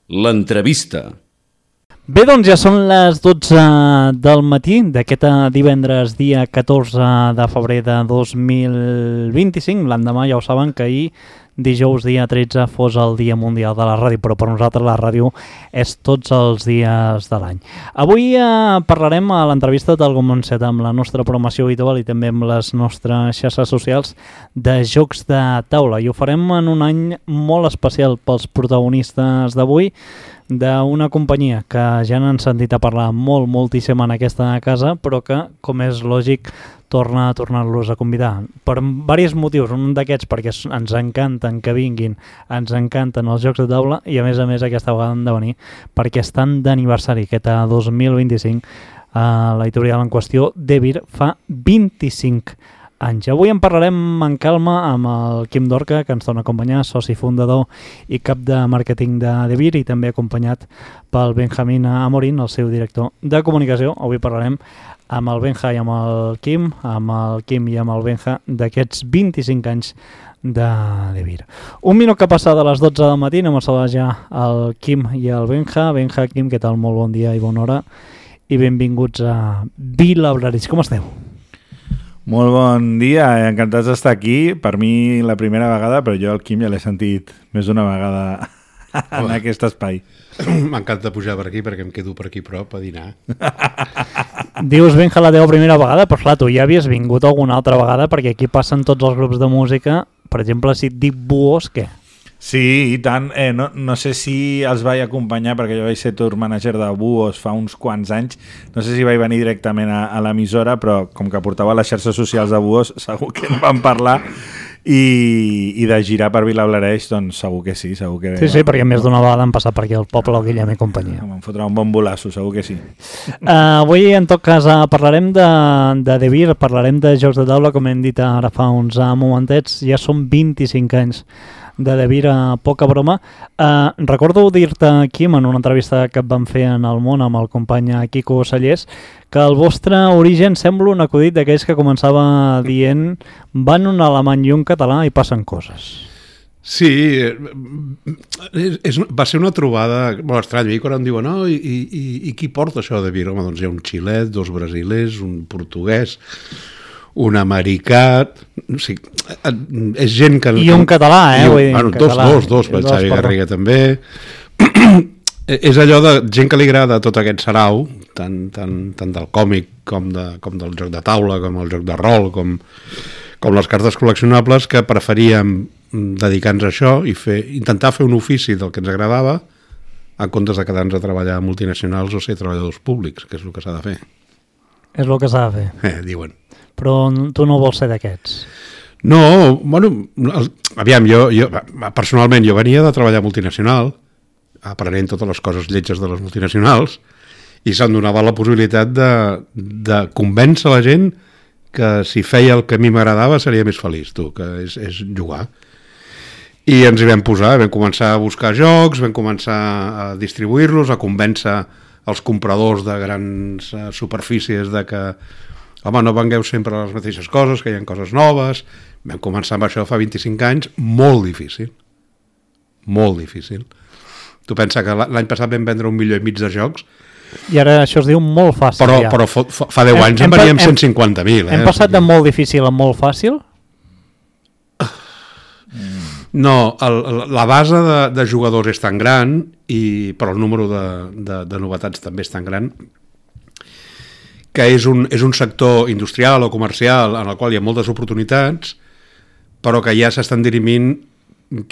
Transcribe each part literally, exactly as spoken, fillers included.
L'entrevista. Bé, doncs ja són les dotze del matí d'aquest divendres dia catorze de febrer de dos mil vint-i-cinc. L'endemà ja ho saben que ahir, dijous dia tretze, fos el Dia Mundial de la Ràdio, però per nosaltres la ràdio és tots els dies de l'any. Avui eh, parlarem a l'entrevista tal com hem fet amb la nostra programació habitual i també amb les nostres xarxes socials de jocs de taula. I ho farem en un any molt especial pels protagonistes d'avui, d'una companyia que ja n'han sentit a parlar molt, moltíssim en aquesta casa, però que, com és lògic, torna a tornar-los a convidar. Per diversos motius, un d'aquests perquè ens encanten que vinguin, ens encanten els jocs de taula i a més a més aquesta vegada han de venir perquè estan d'aniversari, aquest dos mil vint-i-cinc, eh, l'editorial en qüestió, Devir, fa vint-i-cinc anys. Avui en parlarem en calma amb el Quim Dorca, que ens torna a acompanyar, soci fundador i cap de màrqueting de Devir, i també acompanyat pel Benjamín Amorín, el seu director de comunicació. Avui parlarem amb el Benja i amb el Quim, amb el Quim i amb el Benja, d'aquests vint-i-cinc anys de Devir. Un minut que passa de les dotze del matí, anem a saludar ja el Quim i el Benja. Benja, Quim, què tal? Molt bon dia i bona hora i benvinguts a Vilablareix. Com esteu? Molt bon dia, encantats d'estar aquí. Per mi la primera vegada, però jo el Quim ja l'he sentit més d'una vegada en aquest espai. M'encanta pujar per aquí perquè em quedo per aquí prop a dinar. Dius, Benja, la teva primera vegada, però clar, tu ja havies vingut alguna altra vegada perquè aquí passen tots els grups de música. Per exemple, si et dic Buos, què? Sí, i tant. Eh, no, no sé si els vaig acompanyar perquè jo vaig ser tour manager de Buos fa uns quants anys. No sé si vaig venir directament a, a l'emissora, però com que portava les xarxes socials de Buos, segur que en vam parlar. I, i de girar per Vilablareix, doncs segur que sí, segur que... Sí, sí, perquè més d'una vegada han passat per aquí el poble, el Guillem i companyia. Em fotrà un bon bolasso, segur que sí. Uh, avui, en tot cas, uh, parlarem de, de Devir, parlarem de jocs de taula, com hem dit ara fa uns uh, momentets, ja són vint-i-cinc anys de Devir, a poca broma. Uh, recordo dir-te, Quim, en una entrevista que et vam fer en El Món amb el company Quico Sallés, que el vostre origen sembla un acudit d'aquells que començava dient van un alemany i un català i passen coses. Sí, és, és, va ser una trobada molt estranya. I quan em diuen, no, i, i, i qui porta això de Devir? Home, doncs hi ha un xilet, dos brasilers, un portuguès, un americà, o sigui, és gent que... I un català, eh? Un, Vull dir, bueno, català, dos, dos, dos, Xavi Garriga també. És allò de gent que li agrada tot aquest sarau, tant, tant, tant del còmic com, de, com del joc de taula, com el joc de rol, com, com les cartes col·leccionables, que preferíem dedicar-nos a això i fer, intentar fer un ofici del que ens agradava en comptes de quedar-nos a treballar a multinacionals o ser treballadors públics, que és el que s'ha de fer. És el que s'ha de fer. Eh, diuen. Però tu no vols ser d'aquests. No, bueno, el, aviam, jo, jo personalment jo venia de treballar multinacional, aprenent totes les coses lletges de les multinacionals, i se'm donava la possibilitat de, de convèncer la gent que si feia el que a mi m'agradava seria més feliç, tu, que és, és jugar. I ens hi vam posar, vam començar a buscar jocs, vam començar a distribuir-los, a convèncer els compradors de grans uh, superfícies de que home, no vengueu sempre les mateixes coses, que hi ha coses noves. Vam començar amb això fa vint-i-cinc anys, molt difícil. Molt difícil. Tu pensa que l'any passat vam vendre un milió i mig de jocs. I ara això es diu molt fàcil. Però, ja. però fa, fa deu anys hem, en veníem cent cinquanta mil. Eh? Hem passat de molt difícil a molt fàcil? No, el, la base de, de jugadors és tan gran, i, però el número de, de, de novetats també és tan gran, que és un, és un sector industrial o comercial en el qual hi ha moltes oportunitats, però que ja s'estan dirimint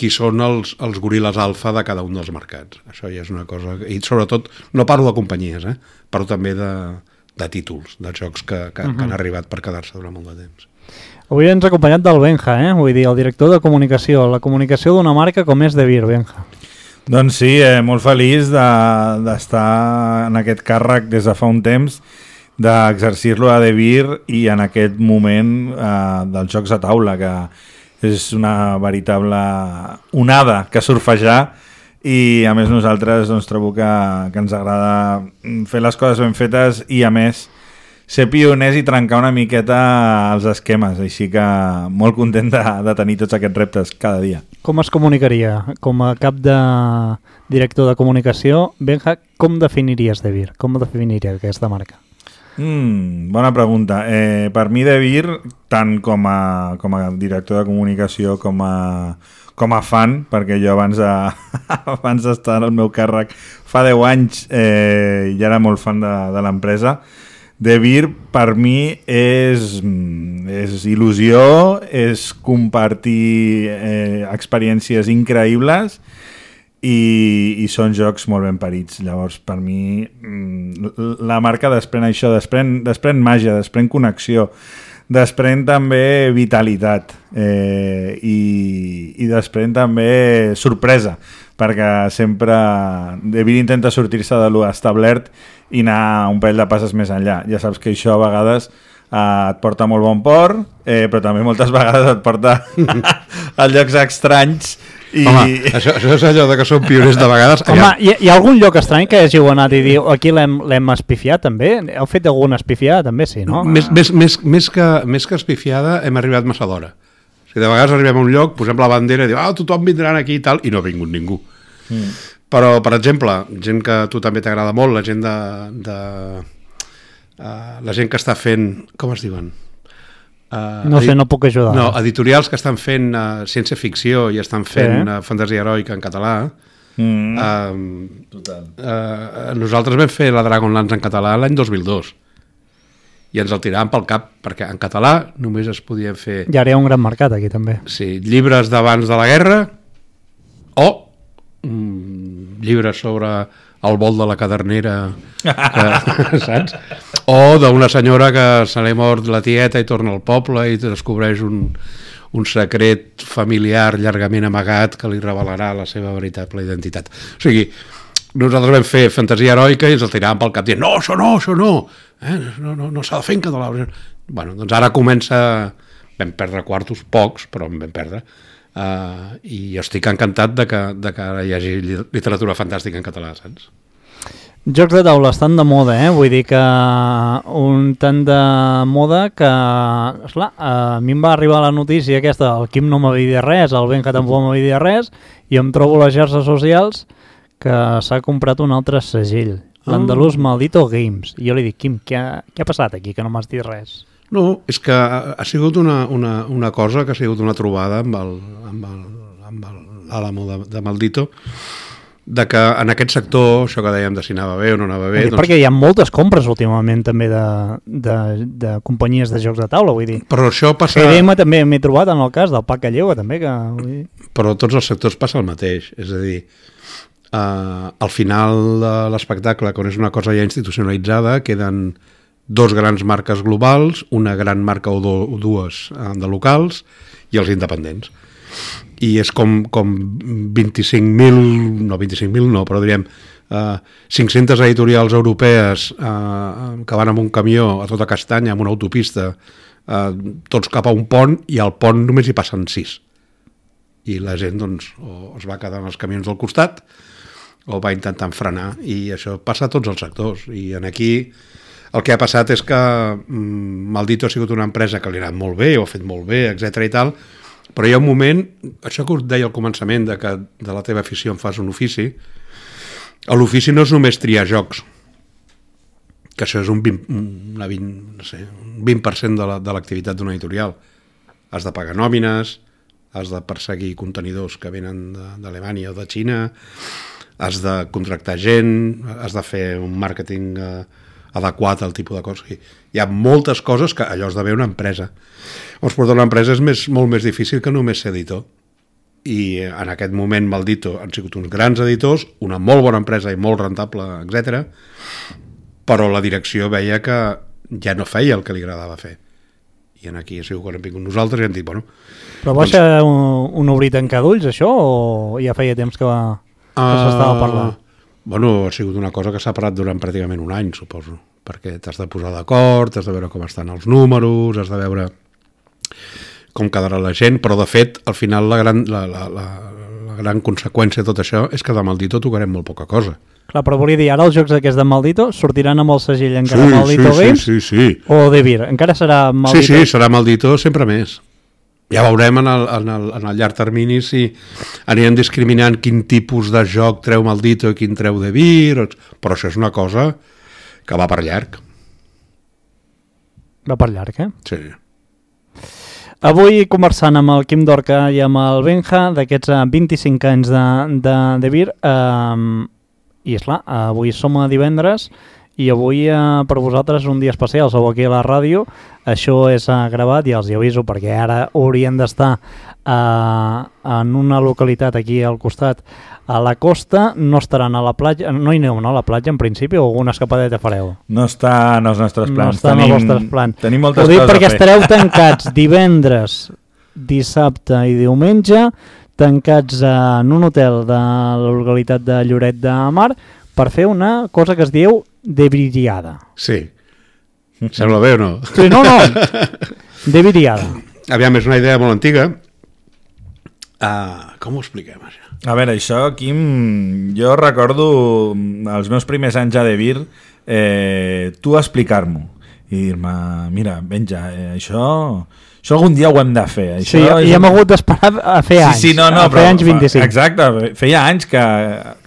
qui són els, els goril·les alfa de cada un dels mercats. Això ja és una cosa... I sobretot, no parlo de companyies, eh? Parlo també de, de títols, de jocs que, que, uh-huh. que han arribat per quedar-se durant molt de temps. Avui ens ha acompanyat del Benja, eh? Vull dir, el director de comunicació, la comunicació d'una marca com és Devir, Benja. Doncs sí, eh, molt feliç d'estar de, en aquest càrrec des de fa un temps, d'exercir-lo a Devir i en aquest moment eh, dels jocs de taula, que és una veritable onada que surfejar, i a més nosaltres doncs, trobo que, que ens agrada fer les coses ben fetes i a més ser pioners i trencar una miqueta els esquemes, així que molt content de, de tenir tots aquests reptes cada dia. Com es comunicaria? Com a cap de director de comunicació, Benja, com definiries De Beer? Com definiries aquesta marca? Mm, bona pregunta. Eh, per mi De Beer, tant com a, com a director de comunicació com a, com a fan, perquè jo abans de, abans d'estar al meu càrrec fa deu anys eh, ja era molt fan de, de l'empresa. De Beer per mi és, és il·lusió, és compartir eh, experiències increïbles i, i són jocs molt ben parits. Llavors, per mi, la marca desprèn això, desprèn, desprèn màgia, desprèn connexió, desprèn també vitalitat eh, i, i desprèn també sorpresa, perquè sempre De Beer intenta sortir-se de lo establert i anar un parell de passes més enllà. Ja saps que això a vegades eh, et porta molt bon port, eh, però també moltes vegades et porta a llocs estranys. I... Home, això, això és allò de que són pioners de vegades. Home, hi, hi ha algun lloc estrany que hàgiu anat i diu aquí l'hem espifiat també? Heu fet alguna espifiada també, sí, no? Més, més, més, més, que, més que espifiada hem arribat massa d'hora. O sigui, de vegades arribem a un lloc, posem la bandera i diu, ah, tothom vindrà aquí i tal, i no ha vingut ningú. Mm. Però, per exemple, gent que a tu també t'agrada molt, la gent de... de uh, la gent que està fent... Com es diuen? Uh, no sé, no puc ajudar. No, editorials que estan fent uh, ciència-ficció i estan fent sí. uh, fantasia heroica en català. Mm. Uh, Total. Uh, nosaltres vam fer la Dragonlance en català l'any dos mil dos i ens el tiràvem pel cap, perquè en català només es podien fer... I ara hi ha un gran mercat aquí també. Sí, llibres d'abans de la guerra o mm, llibres sobre el vol de la cadernera que, saps? O d'una senyora que se li ha mort la tieta i torna al poble i descobreix un, un secret familiar llargament amagat que li revelarà la seva veritable identitat. O sigui, nosaltres vam fer fantasia heroica i ens el tiràvem pel cap dient no, això no, això no, eh? no, no, no s'ha de fer en català. Bueno, doncs ara comença, vam perdre quartos, pocs, però en vam perdre, uh, i jo estic encantat de que, de que ara hi hagi literatura fantàstica en català, saps? Jocs de taula estan de moda, eh? Vull dir que un tant de moda que, esclar, a mi em va arribar la notícia aquesta, el Quim no m'havia dit res, el Benja tampoc m'havia dit res, i em trobo a les xarxes socials que s'ha comprat un altre segell, oh. l'Andalús Maldito Games. I jo li dic, Quim, què ha, què ha passat aquí, que no m'has dit res? No, és que ha sigut una, una, una cosa que ha sigut una trobada amb el, amb el, amb el, l'àlamo de, de Maldito, de que en aquest sector, això que dèiem de si anava bé o no anava bé... Dir, doncs... Perquè hi ha moltes compres últimament també de, de, de companyies de jocs de taula, vull dir. Però això passa... G D M també m'he trobat en el cas del Paca Lleua, també, que... Vull dir... Però tots els sectors passa el mateix, és a dir, uh, al final de l'espectacle, quan és una cosa ja institucionalitzada, queden dos grans marques globals, una gran marca o, do, o dues uh, de locals i els independents. I és com, com vint-i-cinc mil, no vint-i-cinc mil no, però diríem uh, cinc-centes editorials europees uh, que van amb un camió a tota castanya, amb una autopista, uh, tots cap a un pont, i al pont només hi passen sis. I la gent doncs, o es va quedar en els camions del costat o va intentant frenar, i això passa a tots els sectors. I en aquí el que ha passat és que mm, Maldito ha sigut una empresa que li ha anat molt bé, ho ha fet molt bé, etcètera i tal, però hi ha un moment, això que us deia al començament, de que de la teva afició en fas un ofici, l'ofici no és només triar jocs, que això és un vint, una vint, no sé, un vint per cent de, la, de l'activitat d'una editorial. Has de pagar nòmines, has de perseguir contenidors que venen d'Alemanya o de Xina, has de contractar gent, has de fer un màrqueting eh, adequat al tipus de coses. Hi ha moltes coses que allò has de veure una empresa. Llavors, portar una empresa és més, molt més difícil que només ser editor. I en aquest moment Maldito han sigut uns grans editors, una molt bona empresa i molt rentable, etcètera, però la direcció veia que ja no feia el que li agradava fer. I en aquí ha sigut quan hem vingut nosaltres i hem dit, bueno... Però va doncs... ser un, un obrir tancar d'ulls, això, o ja feia temps que, va, que uh, s'estava parlant? Bueno, ha sigut una cosa que s'ha parat durant pràcticament un any, suposo, perquè t'has de posar d'acord, has de veure com estan els números, has de veure com quedarà la gent, però de fet, al final la, gran, la, la, la, la gran conseqüència de tot això és que de Maldito tocarem molt poca cosa. Clar, però volia dir, ara els jocs aquests de Maldito sortiran amb el segell encara Sí, Maldito sí, Games sí, sí, sí. o De Beer? Encara serà Maldito? Sí, sí, serà Maldito sempre més. Ja veurem en el, en el, en el llarg termini si anirem discriminant quin tipus de joc treu Maldito i quin treu De Beer, però això és una cosa que va per llarg. Va per llarg, eh? Sí. Avui conversant amb el Quim Dorca i amb el Benja d'aquests vint-i-cinc anys de, de, de Beer, eh, i esclar, avui som a divendres i avui eh, per vosaltres un dia especial, sou aquí a la ràdio, això és eh, gravat i els hi aviso perquè ara haurien d'estar eh, en una localitat aquí al costat a la costa, no estaran a la platja, no hi aneu no, a la platja en principi o alguna escapadeta fareu? No està en els nostres plans. No està en els vostres plans. Tenim moltes Ho dic coses perquè a fer. estareu tancats divendres, dissabte i diumenge, tancats en un hotel de la localitat de Lloret de Mar per fer una cosa que es diu debiriada. Sí. Sembla bé o no? Sí, no, no. Debiriada. Aviam, és una idea molt antiga. Uh, com ho expliquem, això? A veure, això, Quim, jo recordo els meus primers anys a De Beer, eh, tu explicar-m'ho i dir-me, mira, Benja, eh, això, això algun dia ho hem de fer. Això Sí, és... i hem hagut d'esperar a fer anys. Sí, sí, no, no, a fer però, anys vint-i-cinc. Exacte, feia anys que...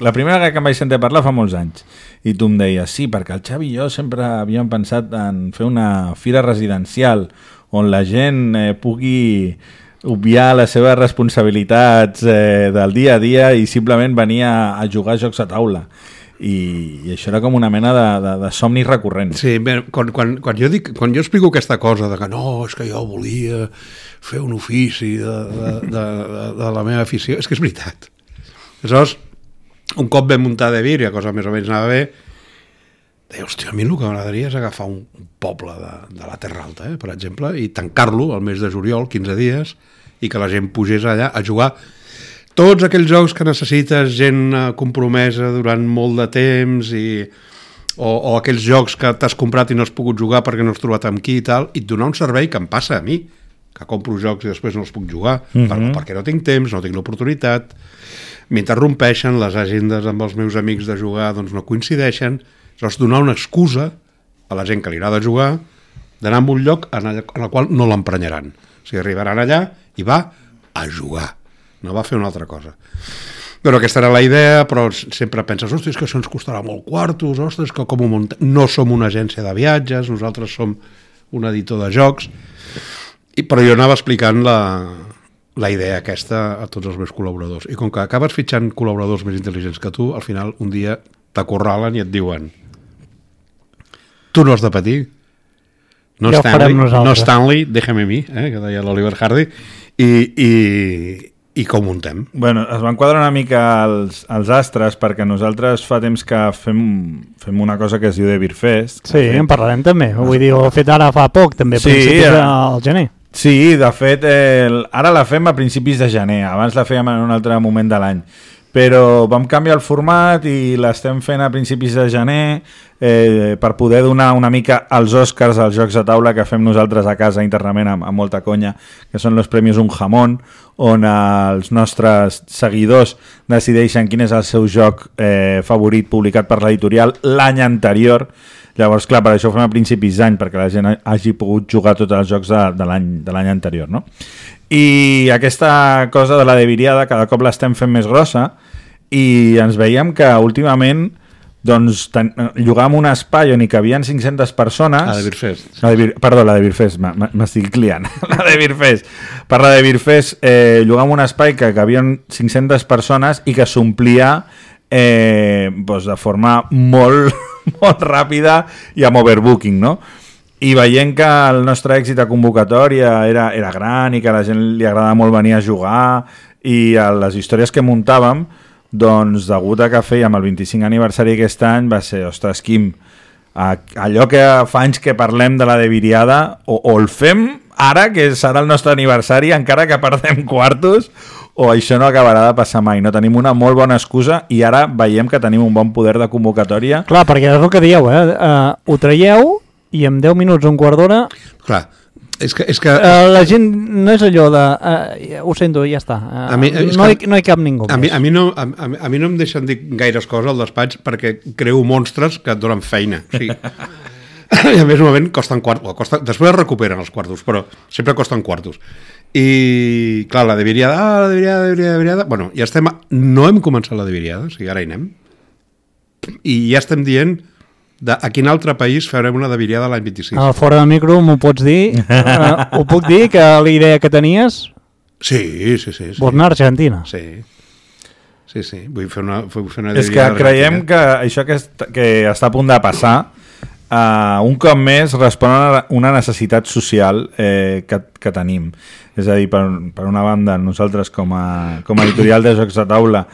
La primera vegada que em vaig sentir parlar fa molts anys. I tu em deies, sí, perquè el Xavi i jo sempre havíem pensat en fer una fira residencial on la gent eh, pugui obviar les seves responsabilitats eh, del dia a dia i simplement venir a, a jugar a jocs a taula. I, i això era com una mena de, de, de somni recurrent. Sí, bé, quan, quan, quan, jo dic, quan jo explico aquesta cosa de que no, és que jo volia fer un ofici de, de, de, de, de la meva afició, és que és veritat. Aleshores, un cop vam muntar De Beer i la cosa més o menys anava bé, deia, hòstia, a mi el que m'agradaria és agafar un, un poble de, de la Terra Alta, eh, per exemple, i tancar-lo al mes de juliol, quinze dies, i que la gent pugés allà a jugar tots aquells jocs que necessites gent compromesa durant molt de temps i, o, o aquells jocs que t'has comprat i no has pogut jugar perquè no has trobat amb qui i tal, i et donar un servei que em passa a mi, que compro jocs i després no els puc jugar, mm-hmm. per, perquè no tinc temps, no tinc l'oportunitat, m'interrompeixen, les agendes amb els meus amics de jugar doncs no coincideixen, llavors donar una excusa a la gent que li agrada jugar d'anar a un lloc en el, en el qual no l'emprenyaran. O sigui, arribaran allà i va a jugar, no va a fer una altra cosa. Però aquesta era la idea, però sempre penses, ostres, que això ens costarà molt quartos, ostres, que com ho muntem... No som una agència de viatges, nosaltres som un editor de jocs, i, però jo anava explicant la, la idea aquesta a tots els meus col·laboradors. I com que acabes fitxant col·laboradors més intel·ligents que tu, al final un dia t'acorralen i et diuen tu no has de patir, no, ja Stanley, no Stanley, déjame a mi, eh, que deia l'Oliver Hardy, i, i, i com muntem? Bueno, es van quadrar una mica els, els astres perquè nosaltres fa temps que fem, fem una cosa que es diu De Beer Fest. Sí, en parlarem també. Vull dir, ho he fet ara fa poc, també, a sí, principis ja. del gener. Sí, de fet, eh, ara la fem a principis de gener, abans la fèiem en un altre moment de l'any. Però vam canviar el format i l'estem fent a principis de gener eh, per poder donar una mica als Oscars als jocs de taula que fem nosaltres a casa internament amb, amb molta conya, que són els Premis Un Jamón, on els nostres seguidors decideixen quin és el seu joc eh, favorit publicat per l'editorial l'any anterior. Llavors, clar, per això ho fem a principis d'any, perquè la gent hagi pogut jugar tots els jocs de, de l'any de l'any anterior, no? I aquesta cosa de la debiriada cada cop l'estem fent més grossa i ens veiem que últimament doncs ten, llogàvem un espai on hi cabien cinc-centes persones. A De Beer Fest. La de Beer, perdó, la de Beer Fest, m'estic liant. La de Beer Fest. Per la de Beer Fest eh, llogàvem un espai que cabien cinc-centes persones i que s'omplia eh, doncs de forma molt, molt ràpida i amb overbooking, no? I veient que el nostre èxit a convocatòria era, era gran i que a la gent li agradava molt venir a jugar i a les històries que muntàvem, doncs degut a que fèiem el vint-i-cinc aniversari aquest any va ser, ostres, Quim, allò que fa anys que parlem de la debiriada o, o el fem ara, que serà el nostre aniversari, encara que perdem quartos, o això no acabarà de passar mai. No tenim una molt bona excusa i ara veiem que tenim un bon poder de convocatòria. Clar, perquè és el que dieu, eh? Uh, ho traieu i en deu minuts, un quart d'hora... Clar, És que, és que... Uh, la gent no és allò de... Uh, ho sento, ja està. Uh, A mi- és no, que- hi, no hi cap ningú A mi, més. a, mi no, a, a, a mi no em deixen dir gaires coses al despatx perquè creo monstres que et donen feina. O sigui, i a més, un moment, costen quartos. Costa, després es recuperen els quartos, però sempre costen quartos. I, clar, la de Viriada, ah, la de Viriada, de Viriada, de Viriada... Bueno, ja estem... A, no hem començat la de Viriada, o sigui, ara hi anem. I ja estem dient de a quin altre país farem una de Viriada l'any vint-i-sis. Uh, fora de micro m'ho pots dir? Uh, ho puc dir, que la idea que tenies Sí, sí, sí. sí. vols anar a Argentina. Sí. Sí, sí. Vull fer una, vull fer una És que Viriada creiem argentina. que això que, est que està a punt de passar uh, un cop més respon a una necessitat social eh, que, que tenim. És a dir, per, per una banda, nosaltres com a, com a editorial de jocs de taula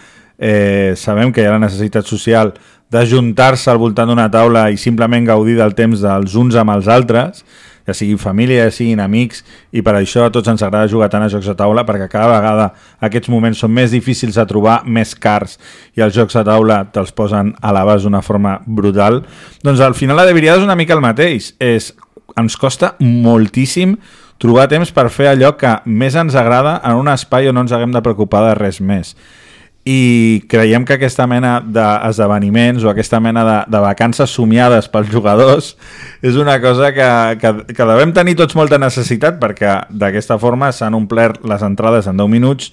eh, sabem que hi ha la necessitat social d'ajuntar-se al voltant d'una taula i simplement gaudir del temps dels uns amb els altres, ja siguin família, ja siguin amics, i per això a tots ens agrada jugar tant a jocs de taula, perquè cada vegada aquests moments són més difícils de trobar, més cars, i els jocs de taula te'ls posen a l'abast d'una forma brutal. Doncs al final la de Viriada és una mica el mateix. És, ens costa moltíssim trobar temps per fer allò que més ens agrada en un espai on no ens haguem de preocupar de res més. I creiem que aquesta mena d'esdeveniments o aquesta mena de, de vacances somiades pels jugadors és una cosa que, que, que devem tenir tots molta necessitat, perquè d'aquesta forma s'han omplert les entrades en deu minuts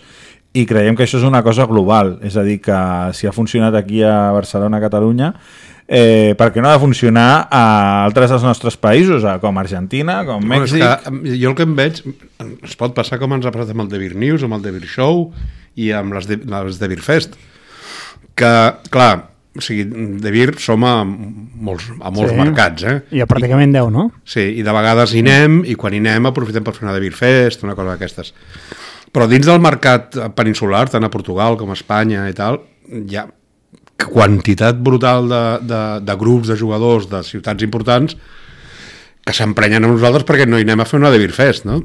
i creiem que això és una cosa global. És a dir, que si ha funcionat aquí a Barcelona, a Catalunya, eh, per què no ha de funcionar a altres dels nostres països, com Argentina, com Mèxic? No, és que jo el que em veig, es pot passar com ens ha passat amb el De Beer News, amb el De Beer Show i amb les de, les de Beer Fest, que, clar, o sigui, De Beer som a molts, a molts Sí. mercats, eh? I a pràcticament deu, no? Sí, i de vegades hi anem, i quan hi anem aprofitem per fer una De Beer Fest, una cosa d'aquestes. Però dins del mercat peninsular, tant a Portugal com a Espanya i tal, hi ha quantitat brutal de, de, de grups de jugadors de ciutats importants que s'emprenyen a nosaltres perquè no hi anem a fer una De Beer Fest, no?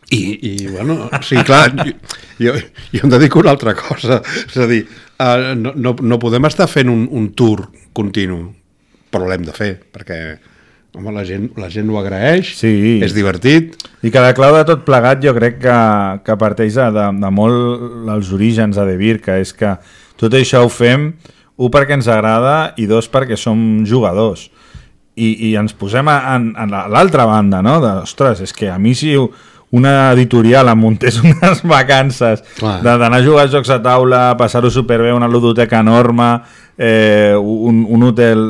I, i bueno, sí, clar, jo, jo, jo em dedico a una altra cosa, és a dir, uh, no, no, no podem estar fent un, un tour continu, però l'hem de fer, perquè home, la, gent, la gent ho agraeix, Sí. és divertit. I que la clau de tot plegat jo crec que, que parteix de, de, de molt els orígens de De Beer, que és que tot això ho fem, un, perquè ens agrada, i dos, perquè som jugadors. I, i ens posem a, en, en l'altra banda, no? De, ostres, és que a mi si una editorial em muntés unes vacances d'anar a jugar a jocs de taula, passar-ho superbé, una ludoteca enorme, eh, un, un hotel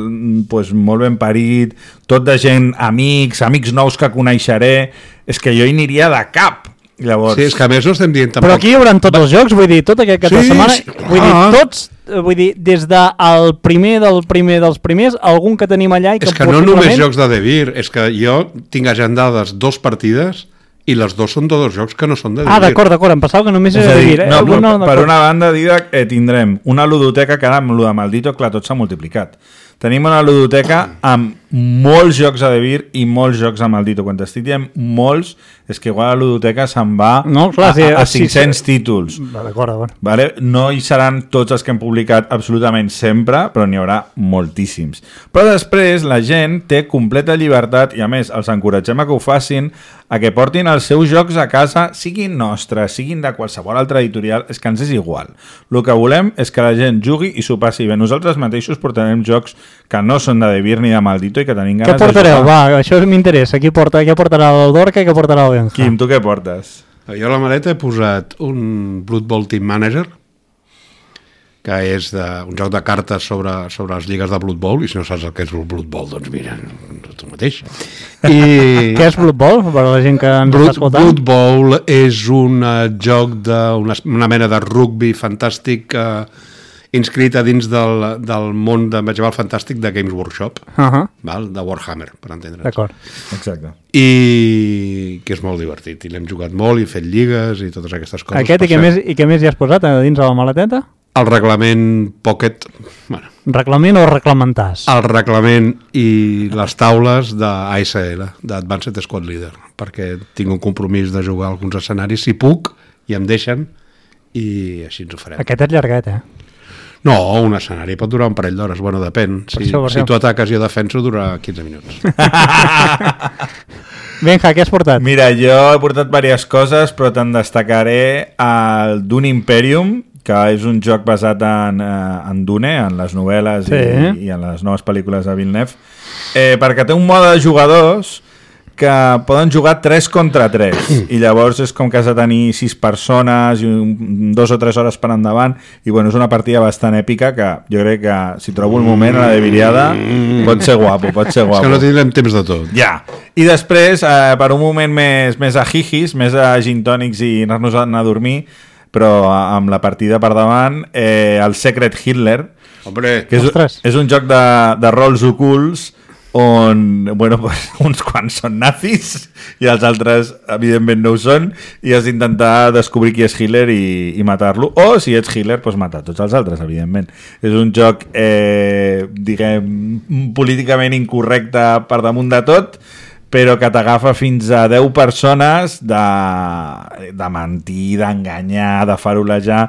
pues, molt ben parit, tot de gent, amics, amics nous que coneixeré, és que jo hi aniria de cap. Llavors... Sí, és que a més no estem dient tampoc... Però aquí hi haurà tots els jocs, vull dir, tot aquest cap de Sí, setmana, sí, vull dir, clar. tots, eh, vull dir, des del primer del primer dels primers, algun que tenim allà i que És que no possiblement... només jocs de De Beer, és que jo tinc agendades dos partides i les dos són de dos jocs que no són de De Ah, Beer. d'acord, d'acord, em pensava que només És era a de dir, dir... Eh? no, Algun per, no, per d'acord. una banda, Didac, eh, tindrem una ludoteca que ara amb lo de Maldito, clar, tot s'ha multiplicat. Tenim una ludoteca amb molts jocs a De Beer i molts jocs a Maldito. Quan t'estic dient molts, és que igual la ludoteca se'n va No, clar, a, sí, a, a sí, cinc-cents sí. títols. Va, D'acord, d'acord. Vale? No hi seran tots els que hem publicat absolutament sempre, però n'hi haurà moltíssims. Però després la gent té completa llibertat i a més els encoratgem a que ho facin, a que portin els seus jocs a casa, siguin nostres, siguin de qualsevol altra editorial, és que ens és igual. El que volem és que la gent jugui i s'ho passi bé. Nosaltres mateixos portarem jocs que no són de De Beer ni de Maldito i que tenim Què ganes de portareu? jugar. Va, això m'interessa. Qui porta, què portarà el Dorca i què portarà el Benja? Quim, tu què portes? Jo a la maleta he posat un Blood Bowl Team Manager, que és de, un joc de cartes sobre, sobre les lligues de Blood Bowl, i si no saps el que és el Blood Bowl, doncs mira, tu mateix. I... Què és Blood Bowl, per a la gent que ens Blood, està escoltant? Blood Bowl és un uh, joc de una, una mena de rugby fantàstic uh, inscrit a dins del, del món de medieval fantàstic de Games Workshop, Uh -huh. val? De Warhammer, per entendre's. D'acord. Exacte. I que és molt divertit, i l'hem jugat molt i fet lligues i totes aquestes coses. Aquest i Per què, cert, més, i què més hi has posat a dins de la maleteta? el reglament Pocket, bueno, Reglament o reglamentàs? el reglament i les taules d'A S L, d'Advanced Squad Leader, perquè tinc un compromís de jugar a alguns escenaris, si puc, i em deixen, i així ens ho farem. Aquest és llarguet, eh? No, un escenari pot durar un parell d'hores, bueno, depèn. Per Si, això, per si això. tu ataques i jo defenso, dura quinze minuts. Benja, què has portat? Mira, jo he portat diverses coses, però te'n destacaré el Dune Imperium, que és un joc basat en, en Dune, en les novel·les sí. i, i en les noves pel·lícules de Villeneuve, eh, perquè té un mode de jugadors que poden jugar tres contra tres i llavors és com que has de tenir sis persones i un, dos o tres hores per endavant i bueno, és una partida bastant èpica que jo crec que si trobo un moment a la de Viriada pot ser guapo, pot ser guapo. És que no tindrem temps de tot. Ja. I després, eh, per un moment més, més a jijis, més a gin tònics i anar-nos a anar a dormir, però amb la partida per davant, eh, el Secret Hitler, Hombre, que és, és un joc de, de rols ocults on bueno, pues, uns quants són nazis i els altres evidentment no ho són i has d'intentar descobrir qui és Hitler i, i matar-lo, o si ets Hitler pues, matar tots els altres, evidentment. És un joc eh, diguem políticament incorrecte per damunt de tot, però que t'agafa fins a deu persones de, de mentir, d'enganyar, de farolejar,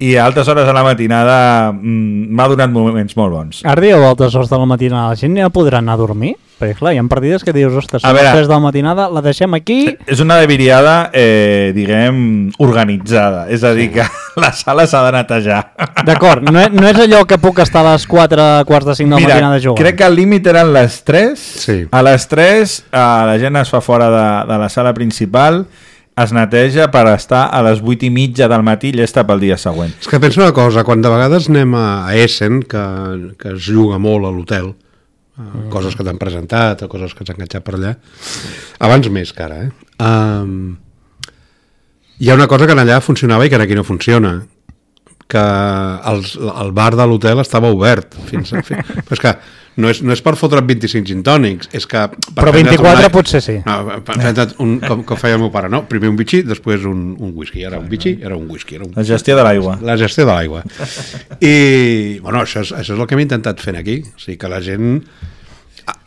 i a altes hores de la matinada m'ha donat moments molt bons. Ara dieu a altes hores de la matinada, la gent ja podrà anar a dormir? Perquè clar, hi ha partides que dius, ostres, a les tres de la matinada la deixem aquí... És una debiriada, eh, diguem, organitzada, és a dir, que la sala s'ha de netejar. D'acord, no, no és allò que puc estar a les quatre, quarts de cinc de la Mira, matinada jugant. Crec que el límit eren les tres, sí. A les tres eh, la gent es fa fora de, de la sala principal, es neteja per estar a les vuit i mitja del matí llesta pel dia següent. És que penso una cosa, quan de vegades anem a Essen, que, que es juga molt a l'hotel, mm. coses que t'han presentat o coses que t'han enganxat per allà, abans més que ara, eh? Um, hi ha una cosa que allà funcionava i que aquí no funciona, que els, el bar de l'hotel estava obert. Fins a, fins, però és que no és, no és per fotre't vint-i-cinc gin tònics, és que... Però vint-i-quatre una, potser sí. No, un, com, com feia el meu pare, no? Primer un bitxí, després un, un whisky. Ara un bitxí, ara un whisky. Era un... La gestió de l'aigua. La gestió de l'aigua. I, bueno, això és, això és el que hem intentat fent aquí. O sigui, que la gent...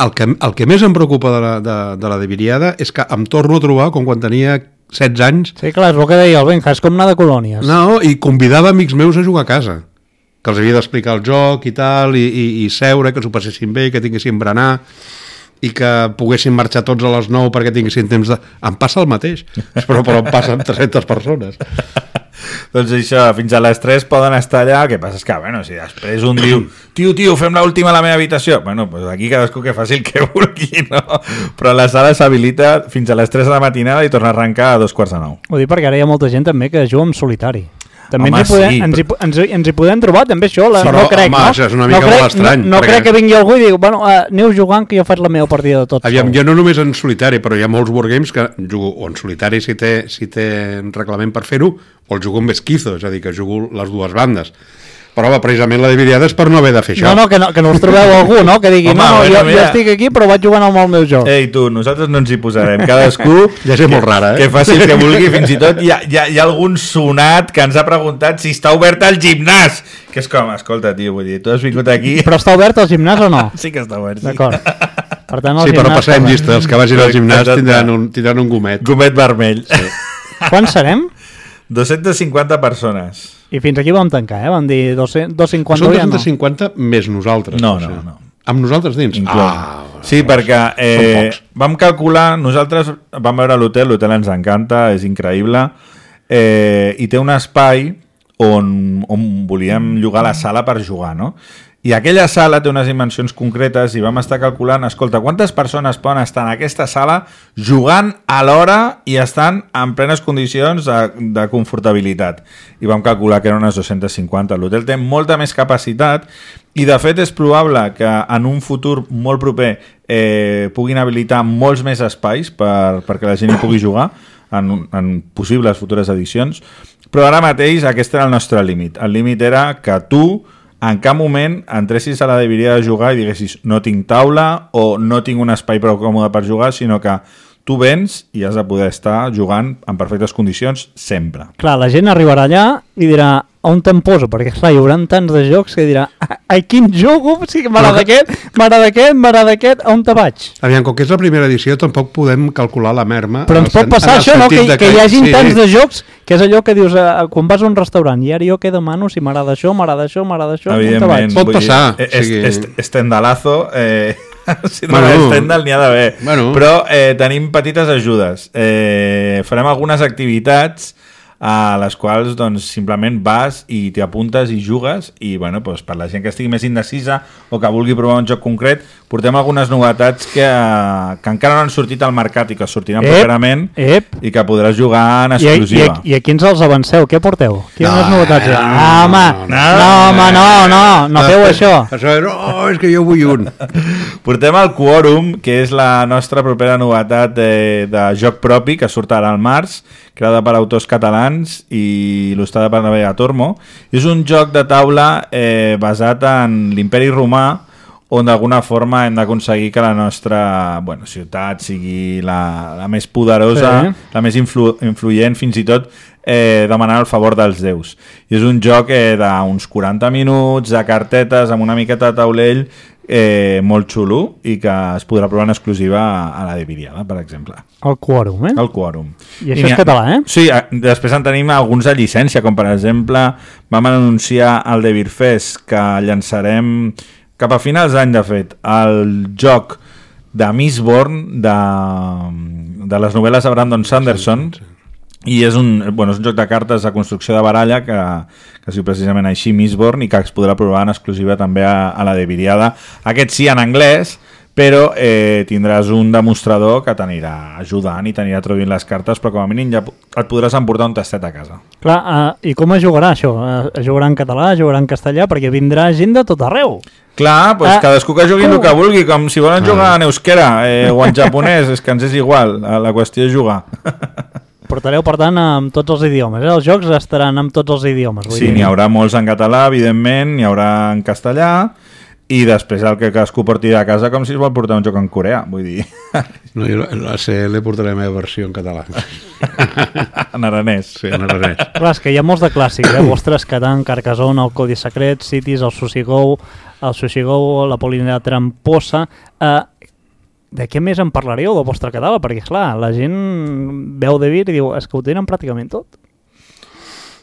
El que, el que més em preocupa de la, de, de la Debiriada és que em torno a trobar com quan tenia setze anys. Sí, clar, és el que deia el Benja, és com anar de colònies. No, i convidava amics meus a jugar a casa, que els havia d'explicar el joc i tal, i, i, i seure, que s'ho passessin bé, que tinguessin berenar, i que poguessin marxar tots a les nou perquè tinguessin temps de... Em passa el mateix, però, però em passen tres-centes persones. Doncs això, fins a les tres poden estar allà, el que passa és que, bueno, si després un diu tio, tio, fem l'última a la meva habitació, bueno, doncs aquí cadascú que faci el que vulgui, no? Però la sala s'habilita fins a les tres de la matinada i torna a arrencar a dos quarts de nou. Ho dic perquè ara hi ha molta gent també que juga en solitari. També home, ens, hi podem, sí, ens, hi, però... ens, hi, ens hi podem trobar, també això, la, però, no crec, home, no? Això és una mica no crec, molt estrany. No, no perquè... crec que vingui algú i digui, bueno, uh, aneu jugant que jo faig la meva partida de tot Aviam, sol. jo no només en solitari, però hi ha molts wargames que jugo o en solitari si té, si té reglament per fer-ho, o el jugo amb esquizo, és a dir, que jugo les dues bandes. Però va, precisament la Debiriada és per no haver de fer això. No, no, que no, que no us trobeu algú, no? Que digui, home, no, no, bueno, jo, jo estic aquí però vaig jugant amb el meu joc. Ei, tu, nosaltres no ens hi posarem. Cadascú... ja és molt rara, eh? Que faci el que vulgui, fins i tot hi ha, hi, ha, hi ha algun sonat que ens ha preguntat si està obert el gimnàs. Que és com, escolta, tio, vull dir, tu has vingut aquí... Però està obert el gimnàs o no? Sí que està obert, sí. D'acord. Per tant, el sí, però passem llista. Els que vagin al gimnàs tindran un, tindran un gomet. Gomet vermell. Sí. Quants serem? dos-centes cinquanta persones. I fins aquí vam tancar, eh? Vam dir dos-cents cinquanta. Són dos-cents cinquanta ja no. Més nosaltres. No, no, no. Amb nosaltres dins? Ah, sí, perquè eh, vam calcular, nosaltres vam veure l'hotel, l'hotel ens encanta, és increïble, eh, i té un espai on, on volíem llogar la sala per jugar, no? I aquella sala té unes dimensions concretes i vam estar calculant, escolta, quantes persones poden estar en aquesta sala jugant a l'hora i estan en plenes condicions de, de confortabilitat. I vam calcular que eren unes dos-centes cinquanta. L'hotel té molta més capacitat i de fet és probable que en un futur molt proper eh, puguin habilitar molts més espais per, perquè la gent hi pugui jugar en, en possibles futures edicions, però ara mateix aquest era el nostre límit. El límit era que tu en cap moment entressis a la Debiriada de jugar i diguessis no tinc taula o no tinc un espai prou còmode per jugar, sinó que tu vens i has de poder estar jugant en perfectes condicions sempre. Clar, la gent arribarà allà i dirà on te'n poso? Perquè clar, hi haurà tants de jocs que dirà ai, quin jugo? O sigui, m'agrada aquest, m'agrada aquest, m'agrada aquest, on te vaig? Aviam, com que és la primera edició tampoc podem calcular la merma. Però ens pot passar això, no? Que, que, que hi hagi sí. tants de jocs que és allò que dius eh, quan vas a un restaurant i ara jo què demano si m'agrada això, m'agrada això, m'agrada això, on te vaig? Pot passar. Est, est, estendalazo... Eh... si no bueno, Stendhal n'hi ha d'haver. Bueno. Però eh, tenim petites ajudes. Eh, farem algunes activitats a les quals doncs, simplement vas i t'hi apuntes i jugues i bueno, doncs, per la gent que estigui més indecisa o que vulgui provar un joc concret, portem algunes novetats que, que encara no han sortit al mercat i que sortiran ep, properament ep. i que podràs jugar en exclusiva. I, i, i a quins els avanceu? Què porteu? Quines no, novetats? No, no, ah, home, no, no, no, home, no, no, no feu això. Això no, és que jo vull un. Portem el Quorum, que és la nostra propera novetat de, de joc propi, que surt ara al març, creada per autors catalans i il·lustrada per Navega Tormo. És un joc de taula eh, basat en l'imperi romà, on d'alguna forma hem d'aconseguir que la nostra bueno, ciutat sigui la, la més poderosa, sí. la més influ, influent, fins i tot eh, demanant el favor dels déus. I és un joc eh, d'uns quaranta minuts, de cartetes, amb una miqueta de taulell, eh, molt xulo i que es podrà provar en exclusiva a la de Viriada, per exemple. El Quorum, eh? El Quorum. I això I és català, eh? Sí, després en tenim alguns de llicència, com per exemple vam anunciar al de Beerfest que llançarem cap a finals d'any, de fet, el joc de Mistborn, de, de les novel·les de Brandon Sanderson, sí, sí, sí. I és un, bueno, és un joc de cartes de construcció de baralla que, que es diu precisament així, Mistborn, i que es podrà provar en exclusiva també a, a la de Viriada. Aquest sí en anglès, però eh, tindràs un demostrador que t'anirà ajudant i t'anirà traduint les cartes, però com a mínim ja et podràs emportar un tastet a casa. Clar, uh, i com es jugarà això? Uh, es jugarà en català, es jugarà en castellà, perquè vindrà gent de tot arreu. Clar, doncs uh, cadascú que jugui el que vulgui, com si volen jugar en euskera eh, o en japonès, és que ens és igual, la qüestió és jugar. Portareu, per tant, amb tots els idiomes. Eh? Els jocs estaran amb tots els idiomes. Vull sí, n'hi haurà molts en català, evidentment, n'hi haurà en castellà, i després el que cadascú porti de casa com si es vol portar un joc en coreà, vull dir. No, jo la C L portaré la meva versió en català. En aranès. Sí, en aranès. Clar, és que hi ha molts de clàssics, eh? Vostres, Catan, Carcassonne, el Codi Secret, Cities, el Sushi Go, el Sushi Go, la Polínia Tramposa... Eh, de què més en parlareu del vostre català? Perquè, clar, la gent veu de Vir i diu, és que ho tenen pràcticament tot.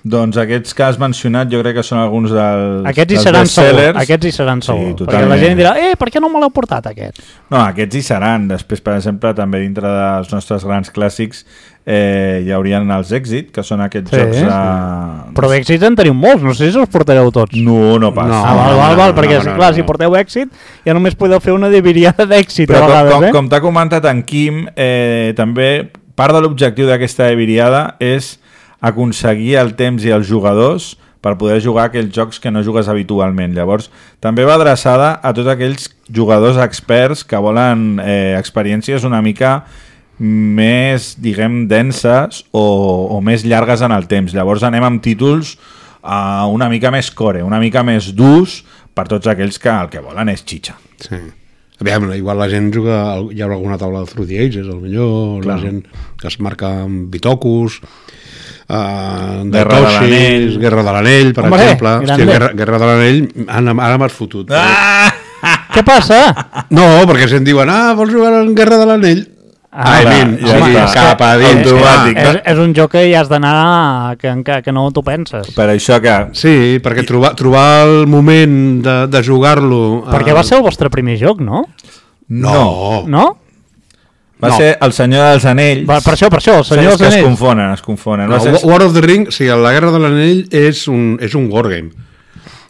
Doncs aquests que has mencionat jo crec que són alguns dels, aquests dels seran bestsellers. Segur, aquests hi seran segur, sí, perquè la gent dirà, eh, per què no me l'heu portat aquest? No, aquests hi seran. Després, per exemple, també dintre dels nostres grans clàssics eh, hi haurien els Èxit, que són aquests sí, jocs... A... Però d'èxits en teniu molts, no sé si els portareu tots. No, no passa. No, ah, val, val, val, perquè no, no, clar, no, no. Si porteu èxit ja només podeu fer una diviriada d'èxit a vegades, com, eh? Com t'ha comentat en Quim, eh, també part de l'objectiu d'aquesta diviriada és aconseguir el temps i els jugadors per poder jugar aquells jocs que no jugues habitualment. Llavors, també va adreçada a tots aquells jugadors experts que volen eh, experiències una mica més, diguem, denses o, o més llargues en el temps. Llavors anem amb títols uh, una mica més core, una mica més durs per tots aquells que el que volen és xitxa. Sí. Aviam, igual la gent juga, hi haurà alguna taula de Through the Ages, potser la gent que es marca amb bitocus... Uh, de Guerra Toshis, de l'Anell, Guerra de l'Anell, per Hombre, exemple. Hòstia, Guerra, Guerra de l'Anell, ara, ara m'has fotut. Ah! Què passa? No, perquè si em diuen, ah, vols jugar en Guerra de l'Anell? Ah, I mean, ja sí, cap a dins. Automàtic. És, és un joc que ja has d'anar que, que, que no t'ho penses. Per això que... Sí, perquè trobar, trobar el moment de, de jugar-lo... Perquè va ser el vostre primer joc, no? No. No? Va no. ser el Senyor dels Anells. Va, per això, per això, el Senyor dels Anells. Anells. Es confonen, es confonen. No, ser... War of the Ring, sí, la Guerra de l'Anell és un, és un wargame.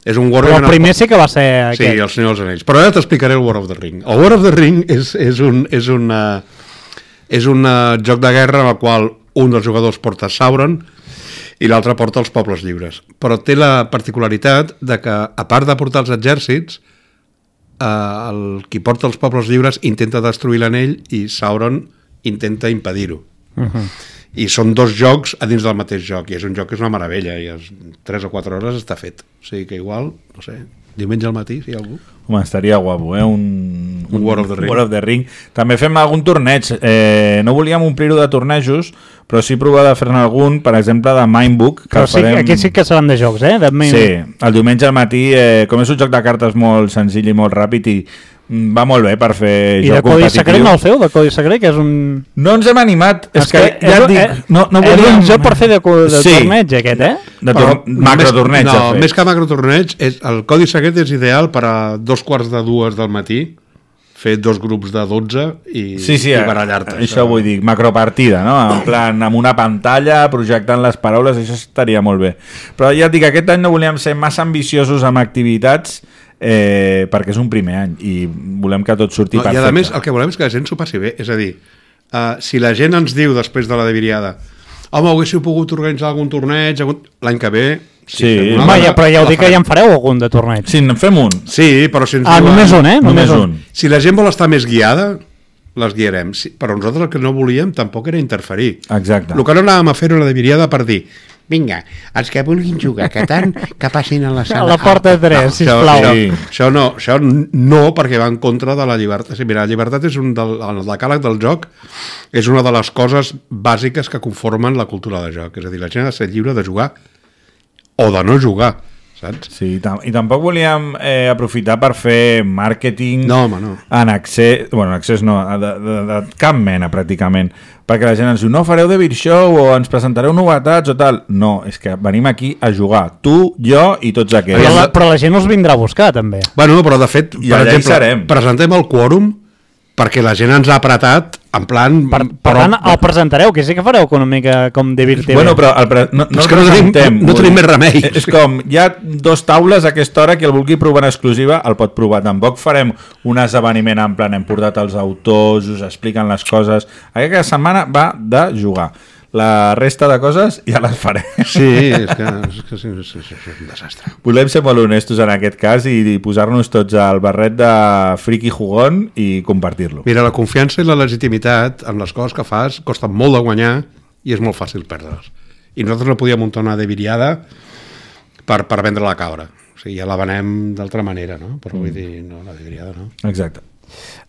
És un wargame. Però el primer sí que va ser sí, aquest. Sí, el Senyor dels Anells. Però ara t'explicaré el War of the Ring. El War of the Ring és, és un, és una, és un joc de guerra en el qual un dels jugadors porta Sauron i l'altre porta els pobles lliures. Però té la particularitat de que, a part de portar els exèrcits, eh, el qui porta els pobles lliures intenta destruir l'anell i Sauron intenta impedir-ho. Uh-huh. I són dos jocs a dins del mateix joc, i és un joc que és una meravella, i en tres o quatre hores està fet. O sigui que igual, no sé, diumenge al matí, si hi ha algú. Home, estaria guapo, eh? Un, un War of the Ring. War of the Ring. També fem algun torneig. Eh, no volíem omplir-ho de tornejos, però sí provar de fer-ne algun, per exemple, de Mindbook. Que però sí, farem... aquests sí que seran de jocs, eh? De sí, el diumenge al matí, eh, com és un joc de cartes molt senzill i molt ràpid, i va molt bé per fer I joc competitiu. I de Codi Secret no el feu, de Codi Secret, que és un... No ens hem animat, és, és que, que ja és, et dic... Eh, no, no volíem... És un joc per fer de, de sí. torneig, aquest, eh? De tor macrotorneig. No, més que macrotorneig, és, el Codi Secret és ideal per a dos quarts de dues del matí fer dos grups de dotze i, sí, sí, i barallar-te. Això, això vull dir, macropartida, no? En plan, amb una pantalla, projectant les paraules, això estaria molt bé. Però ja et dic, aquest any no volíem ser massa ambiciosos amb activitats eh, perquè és un primer any i volem que tot surti no, perfecte. I a més, el que volem és que la gent s'ho passi bé. És a dir, uh, si la gent ens diu després de la Deviriada home, haguéssiu pogut organitzar algun torneig algun... l'any que ve sí, sí. Home, ja, però ja ho dic que ja en fareu algun de torneig. Sí, en fem un. Sí, però si ens ah, diuen... només un, eh? Només, només un. un. Si la gent vol estar més guiada, les guiarem. Sí, però nosaltres el que no volíem tampoc era interferir. Exacte. El que no anàvem a fer era la Deviriada per dir vinga, els que vulguin jugar a Catan, que passin a la sala. A la porta de tres, no, sisplau. Això, sí. això, no, això no, perquè va en contra de la llibertat. Sí, mira, la llibertat és un del, el decàleg del joc, és una de les coses bàsiques que conformen la cultura de joc. És a dir, la gent ha de ser lliure de jugar o de no jugar, saps? Sí, tam i tampoc volíem eh, aprofitar per fer màrqueting no, home, no. en accés, bueno, en accés no, de, de, de cap mena pràcticament, perquè la gent ens diu, no fareu de Beer Show o ens presentareu novetats o tal. No, és que venim aquí a jugar, tu, jo i tots aquests. Però la, però la gent us vindrà a buscar, també. Bueno, però de fet, I per allà exemple, presentem el quòrum perquè la gent ens ha apretat en plan... Per, per però, tant, el presentareu, que sí que fareu una mica com de Beer T V. Bueno, però el pre no, no és que no tenim, no tenim més remei. És com, hi ha dos taules a aquesta hora, que el vulgui provar en exclusiva el pot provar. Tampoc farem un esdeveniment en plan, hem portat els autors, us expliquen les coses. Aquesta setmana va de jugar. La resta de coses ja les farem. Sí, és que és, que és, és, és, és un desastre. Volem ser molt honestos en aquest cas i, i posar-nos tots al barret de friki jugón i compartir-lo. Mira, la confiança i la legitimitat en les coses que fas costen molt de guanyar i és molt fàcil perdre'ls. I nosaltres no podíem muntar una deviriada per, per vendre la cabra. O sigui, ja la venem d'altra manera, no? Però vull dir, no, la deviriada no. Exacte.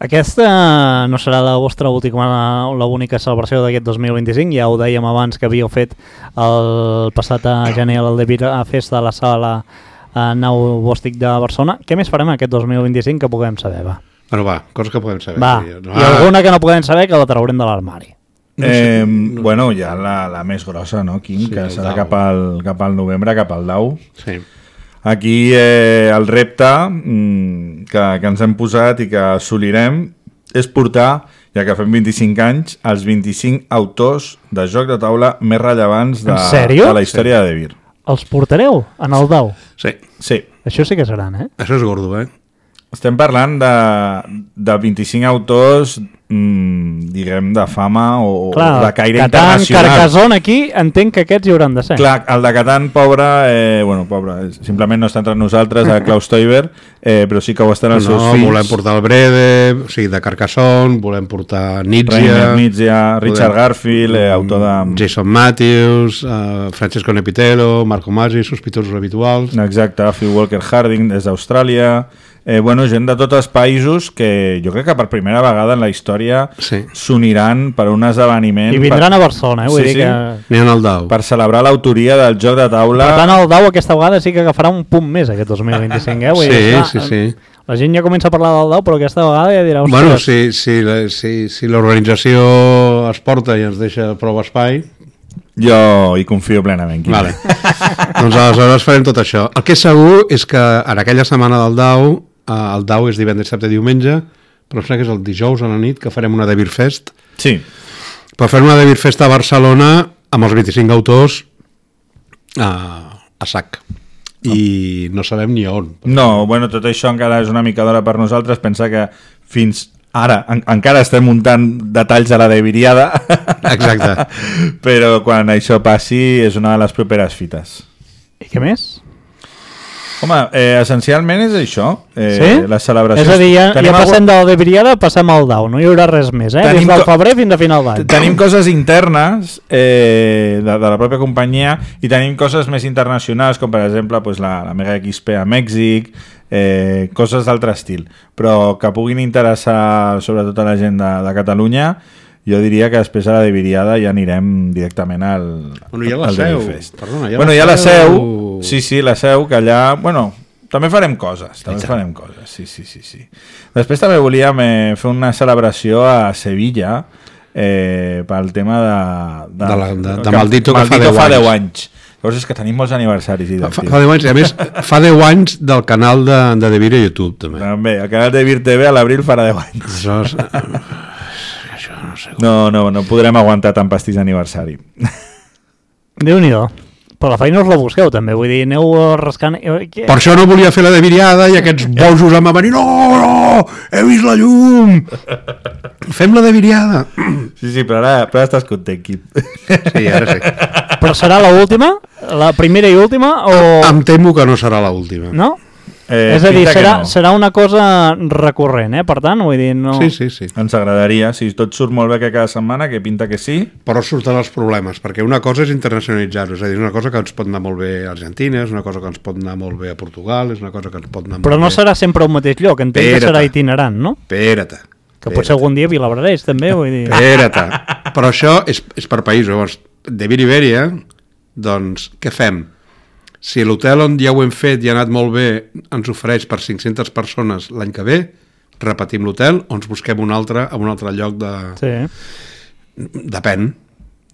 Aquesta no serà la vostra última, l'única celebració d'aquest dos mil vint-i-cinc, ja ho dèiem abans que havíeu fet el passat a gener el de Vira Festa a la sala Nau Bòstic de Barcelona. Què més farem aquest dos mil vint-i-cinc que puguem saber, va? Bueno, va, coses que podem saber. Va, sí. no, i alguna que no podem saber que la traurem de l'armari. No sé, eh, no. Bueno, ja la, la més grossa, no, Quim? Sí, que serà cap al, cap al novembre, cap al deu. Sí. Aquí eh, el repte mm, que, que ens hem posat i que assolirem és portar, ja que fem vint-i-cinc anys, els vint-i-cinc autors de joc de taula més rellevants de, de la història sí. de Devir. Els portareu en el dau? Sí. Sí. Això sí que seran, eh? Això és gordo, eh? Estem parlant de, de vint-i-cinc autors, mmm, diguem, de fama o, clar, o de caire Catan, internacional. Carcassonne, aquí entenc que aquests hi hauran de ser. Clar, el de Catan, pobre, eh, bueno, pobre, simplement no està entre nosaltres, a Klaus Teuber, eh, però sí que ho estan els no, seus fills. Volem portar el Brede, o sigui, de Carcassonne, volem portar Nietzsche, Rainer Nietzsche, Richard volem, Garfield, eh, autor de... Jason Matthews, uh, Francesco Nepitello, Marco Masi, sospitosos habituals. Exacte, Phil Walker Harding, des d'Austràlia... Eh, bueno, gent de tots els països que jo crec que per primera vegada en la història s'uniran sí. per un esdeveniment... I vindran per... a Barcelona, eh? Vull sí, dir sí. que... N'hi ha el Dau. Per celebrar l'autoria del joc de taula... Per tant, el Dau aquesta vegada sí que agafarà un punt més aquest dos mil vint-i-cinc, eh? Vull sí, dir, clar, sí, sí. La gent ja comença a parlar del Dau, però aquesta vegada ja dirà... Bueno, si, si, si, si l'organització es porta i ens deixa prou espai... Jo hi confio plenament. Vale. Doncs aleshores farem tot això. El que és segur és que en aquella setmana del Dau, eh, el Dau és divendres, dissabte i diumenge, però em sembla que és el dijous a la nit que farem una Devir Fest. Sí. Però farem una Devir Fest a Barcelona amb els vint-i-cinc autors a, a sac. I no sabem ni on. No, bueno, tot això encara és una mica d'hora per nosaltres. Pensa que fins ara en, encara estem muntant detalls a la deviriada. Exacte. Però quan això passi és una de les properes fites. I què més? Home, eh, essencialment és això. Eh, sí? Les celebracions. És a dir, ja, ja passem algun... de la deviriada, passem al Dau. No hi haurà res més, eh? Tenim Des del febrer fins a final d'any. Tenim coses internes eh, de, de la pròpia companyia i tenim coses més internacionals, com per exemple pues, la, la Mega X P a Mèxic, eh, coses d'altre estil, però que puguin interessar sobretot a la gent de, de Catalunya. Jo diria que després a la deviriada ja anirem directament al, bueno, ja la al seu. Perdona, ja bueno, la ja la seu, sí, sí, la seu, que allà, bueno, també farem coses, també farem coses, sí, sí, sí, sí. Després també volíem eh, fer una celebració a Sevilla eh, pel tema de... De, de, de, de Maldito, que, que fa deu anys. anys. Llavors és que tenim molts aniversaris. Fa, fa deu anys, a més, fa deu anys del canal de, de Devir a YouTube, també. També, el canal de Devir T V a l'abril farà deu anys. Això, és, això no sé. Com... No, no, no podrem aguantar tant pastís d'aniversari. Déu-n'hi-do. Però la feina us la busqueu, també. Vull dir, aneu rascant... Per això no volia fer la de viriada i aquests bojos em van venir. No, no, he vist la llum. Fem la de viriada. Sí, sí, però ara, però ara estàs content, Quim. Sí, ara sí. Però serà l'última? La primera i última? O... Em temo que no serà l'última. No? Eh, és a dir, serà, no. serà una cosa recurrent, eh? Per tant, vull dir, no... Sí, sí, sí. Ens agradaria, si tot surt molt bé que cada setmana, que pinta que sí. Però surten els problemes, perquè una cosa és internacionalitzar-ho, és a dir, és una cosa que ens pot anar molt bé a Argentina, és una cosa que ens pot anar molt bé a Portugal, és una cosa que ens pot anar Però molt no bé... serà sempre al mateix lloc, entenc que serà itinerant, no? Espera't. Que potser algun dia Vilabrareix, també, vull dir... Espera't. Però això és, és per països. Llavors, de Iberia, doncs, què fem? Si l'hotel on ja ho hem fet i ha anat molt bé ens ofereix per cinc-centes persones l'any que ve, repetim l'hotel o ens busquem un altre a un altre lloc de... Sí. Depèn,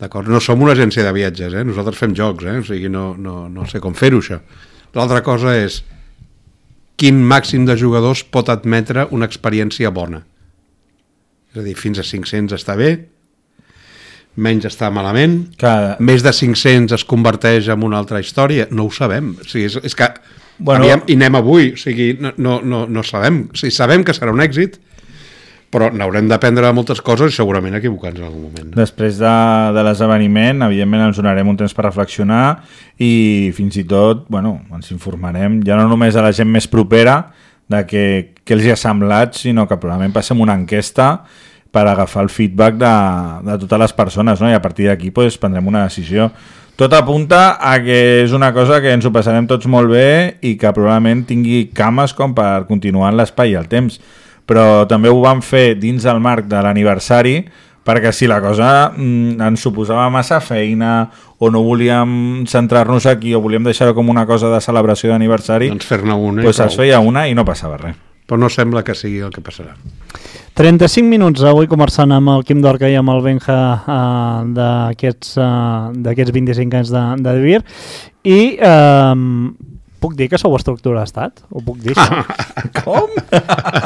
d'acord? No som una agència de viatges, eh? Nosaltres fem jocs, eh? O sigui, no, no, no sé com fer-ho, això. L'altra cosa és quin màxim de jugadors pot admetre una experiència bona. És a dir, fins a cinc-cents està bé, menys està malament, Cada... més de cinc-cents es converteix en una altra història, no ho sabem. O sigui, és, és que Bueno... aviam, i anem avui, o sigui, no, no, no, no sabem. O sigui, sabem que serà un èxit, però n'haurem d'aprendre moltes coses i segurament equivocar-nos en algun moment. No? Després de, de l'esdeveniment, evidentment ens donarem un temps per reflexionar i fins i tot, bueno, ens informarem, ja no només a la gent més propera de què, què els hi ha semblat, sinó que probablement passem una enquesta per agafar el feedback de, de totes les persones, no? I a partir d'aquí pues, prendrem una decisió. Tot apunta a que és una cosa que ens ho passarem tots molt bé i que probablement tingui cames com per continuar en l'espai i el temps. Però també ho vam fer dins del marc de l'aniversari perquè si la cosa mm, ens suposava massa feina o no volíem centrar-nos aquí o volíem deixar-ho com una cosa de celebració d'aniversari, doncs fer-ne una pues es feia una i no passava res. Però no sembla que sigui el que passarà. trenta-cinc minuts avui conversant amb el Quim Dorca i amb el Benja uh, d'aquests uh, d'aquests vint-i-cinc anys de, de Devir i uh, puc dir que sou estructura d'estat? Ho puc dir, això? Com?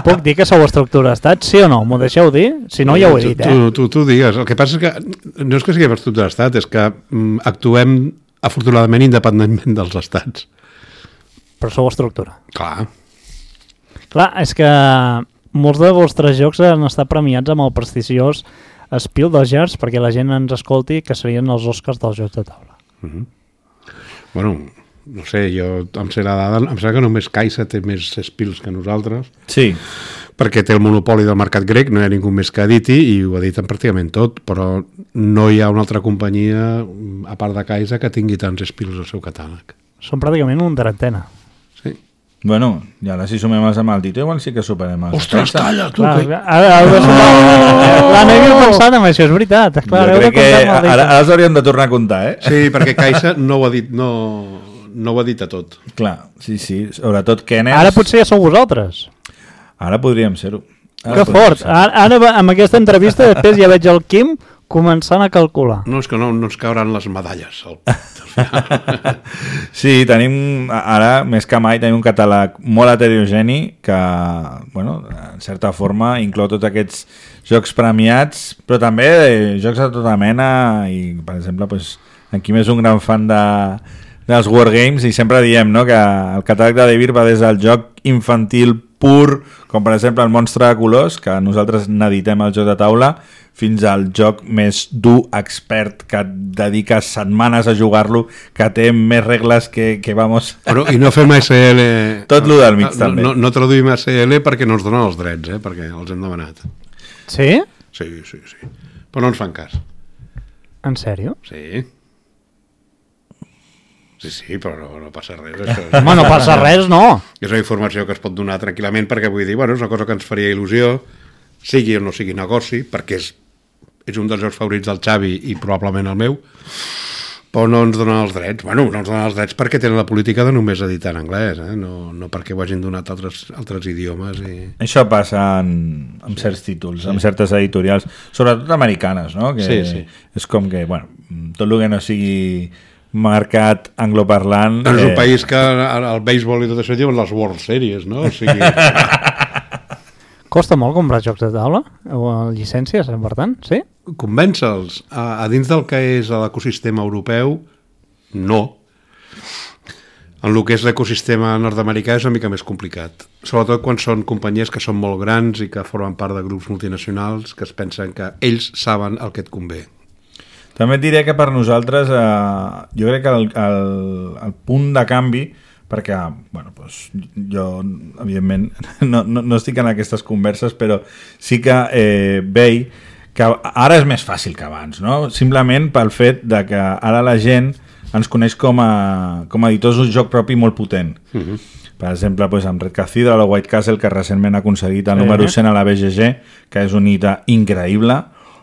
Puc dir que sou estructura d'estat? Sí o no? M'ho deixeu dir? Si no, ja ho he dit, eh? Tu, tu, tu digues. El que passa és que no és que siguem estructura d'estat, és que mm, actuem afortunadament independentment dels estats. Però sou estructura. Clar. Clar, és que molts de vostres jocs han estat premiats amb el prestigiós Spiel dels Jars perquè la gent ens escolti que serien els Oscars dels jocs de taula. Mm-hmm. Bueno, no sé, jo em sé la dada, em sembla que només Caixa té més Spiels que nosaltres. Sí. Perquè té el monopoli del mercat grec, no hi ha ningú més que editi i ho editen pràcticament tot, però no hi ha una altra companyia, a part de Caixa, que tingui tants Spiels al seu catàleg. Són pràcticament una trentena. Sí. Bueno, i ara si sumem els amb el Tito, igual sí que superem els... Ostres, calla, tu! Clar, Que... ara, ara, oh! Clar, no havia pensat en això, és veritat. Clar, jo crec que ara, ara els hauríem de tornar a comptar, eh? Sí, perquè Caixa no ho ha dit, no, no ho ha dit a tot. Clar, sí, sí, sobretot Kenneth... Ara potser ja sou vosaltres. Ara podríem ser-ho. Que fort. Ara, ara, amb aquesta entrevista, després ja veig el Quim començant a calcular. No, és que no, no ens cauran les medalles. Al... Sí, tenim, ara, més que mai, tenim un catàleg molt heterogeni que, bueno, en certa forma, inclou tots aquests jocs premiats, però també jocs de tota mena i, per exemple, pues, en Quim és un gran fan de, dels Wargames i sempre diem, no?, que el catàleg de Devir va des del joc infantil pur, com per exemple el Monstre de Colors, que nosaltres n'editem el joc de taula, fins al joc més dur, expert, que et dediques setmanes a jugar-lo, que té més regles que, que vamos... Bueno, i no fem A S L... Tot lo del mig, no, també. No, no traduïm A S L perquè no ens donen els drets, eh? Perquè els hem demanat. Sí? Sí, sí, sí. Però no ens fan cas. En sèrio? Sí. Sí, sí, però no, no passa res. Això. Home, no passa res, no. És una informació que es pot donar tranquil·lament perquè vull dir, bueno, és una cosa que ens faria il·lusió, sigui o no sigui negoci, perquè és, és un dels jocs favorits del Xavi i probablement el meu, però no ens donen els drets. Bueno, no ens donen els drets perquè tenen la política de només editar en anglès, eh? no, no perquè ho hagin donat altres, altres idiomes. I... Això passa en, en certs títols, sí. En certes editorials, sobretot americanes, no? Que sí, sí. És com que, bueno, tot el que no sigui mercat angloparlant... És un eh... país que el béisbol i tot això diuen les World Series, no? O sigui... Costa molt comprar jocs de taula? O llicències, per tant, sí? Convèncer-los. A, a dins del que és l'ecosistema europeu, no. En el que és l'ecosistema nord-americà és una mica més complicat. Sobretot quan són companyies que són molt grans i que formen part de grups multinacionals que es pensen que ells saben el que et convé. També et diré que per nosaltres eh, jo crec que el, el, el punt de canvi, perquè bueno, doncs, jo evidentment no, no, no estic en aquestes converses, però sí que eh, veig que ara és més fàcil que abans, no? Simplement pel fet de que ara la gent ens coneix com a, com a editors d'un joc propi molt potent. Uh-huh. Per exemple, doncs, amb Red Cathedral o White Castle, que recentment ha aconseguit el número cent a la B G G, que és un hita increïble.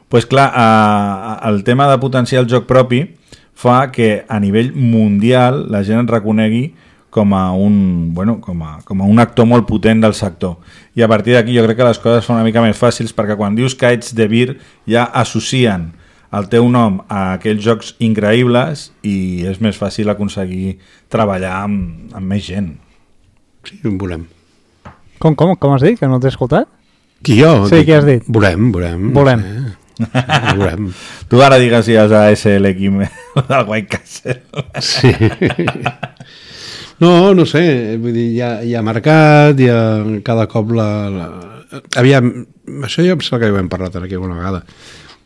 Pues clar, eh, el tema de potenciar el joc propi fa que a nivell mundial la gent et reconegui com a un, bueno, com a, com a un actor molt potent del sector. I a partir d'aquí jo crec que les coses són una mica més fàcils, perquè quan dius que ets de Vir ja associen el teu nom a aquells jocs increïbles i és més fàcil aconseguir treballar amb, amb més gent. Sí, en veurem. Com, com, com has dit? Que no t'he escoltat? Qui jo? Sí, què has dit? Veurem, veurem. Volem. Sí, veurem. Tu ara digues si és a S L Kim del White Castle. Sí. No, no sé, vull dir, hi ha, hi ha mercat, hi ha cada cop la... la... Aviam, això ja em sembla que ja ho hem parlat aquí alguna vegada,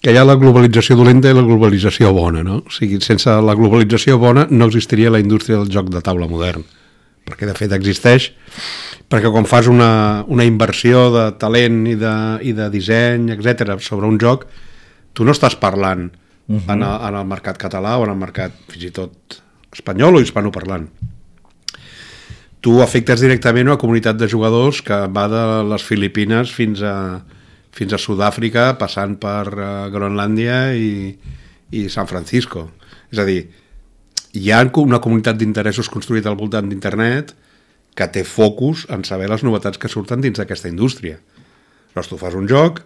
que hi ha la globalització dolenta i la globalització bona, no? O sigui, sense la globalització bona no existiria la indústria del joc de taula modern, perquè de fet existeix, perquè quan fas una, una inversió de talent i de, i de disseny, etcètera, sobre un joc, tu no estàs parlant uh-huh. en, el, en el mercat català o en el mercat fins i tot espanyol o hispanoparlant. Tu afectes directament una comunitat de jugadors que va de les Filipines fins a, fins a Sud-àfrica, passant per uh, Groenlàndia i, i San Francisco. És a dir, hi ha una comunitat d'interessos construïda al voltant d'internet que té focus en saber les novetats que surten dins d'aquesta indústria. Llavors tu fas un joc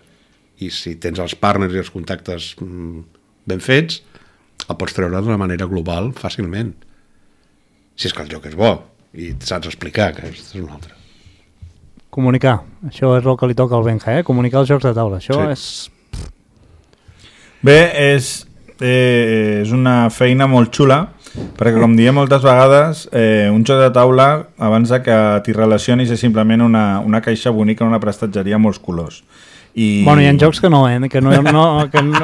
i si tens els partners i els contactes mm, ben fets, el pots treure d'una manera global fàcilment. Si és que el joc és bo i saps explicar, que és una altra. Comunicar, això és el que li toca al Benja, eh? Comunicar els jocs de taula, això sí. és... Bé, és, eh, és una feina molt xula, perquè com diem moltes vegades, eh, un joc de taula, abans de que t'hi relacionis, és simplement una, una caixa bonica en una prestatgeria amb molts colors. I... Bueno, hi ha jocs que no, eh? Que no, no, que no...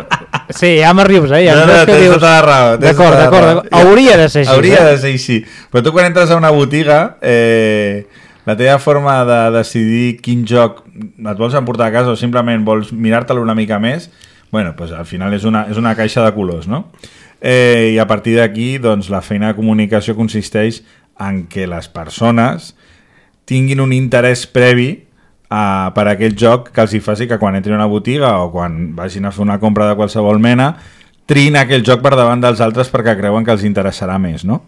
Sí, ja m'arrius, eh? Hi ha no, jocs no, que dius... Tota la raó, d'acord, tota d'acord, raó. hauria de ser així. Hauria eh? de ser així. Però tu quan entres a una botiga, eh, la teva forma de decidir quin joc et vols emportar a casa o simplement vols mirar-te'l una mica més, bueno, pues al final és una, és una caixa de colors, no? Eh, I a partir d'aquí, doncs, la feina de comunicació consisteix en que les persones tinguin un interès previ Uh, per a aquell joc que els hi faci que quan entrin a una botiga o quan vagin a fer una compra de qualsevol mena triïn aquell joc per davant dels altres perquè creuen que els interessarà més, no?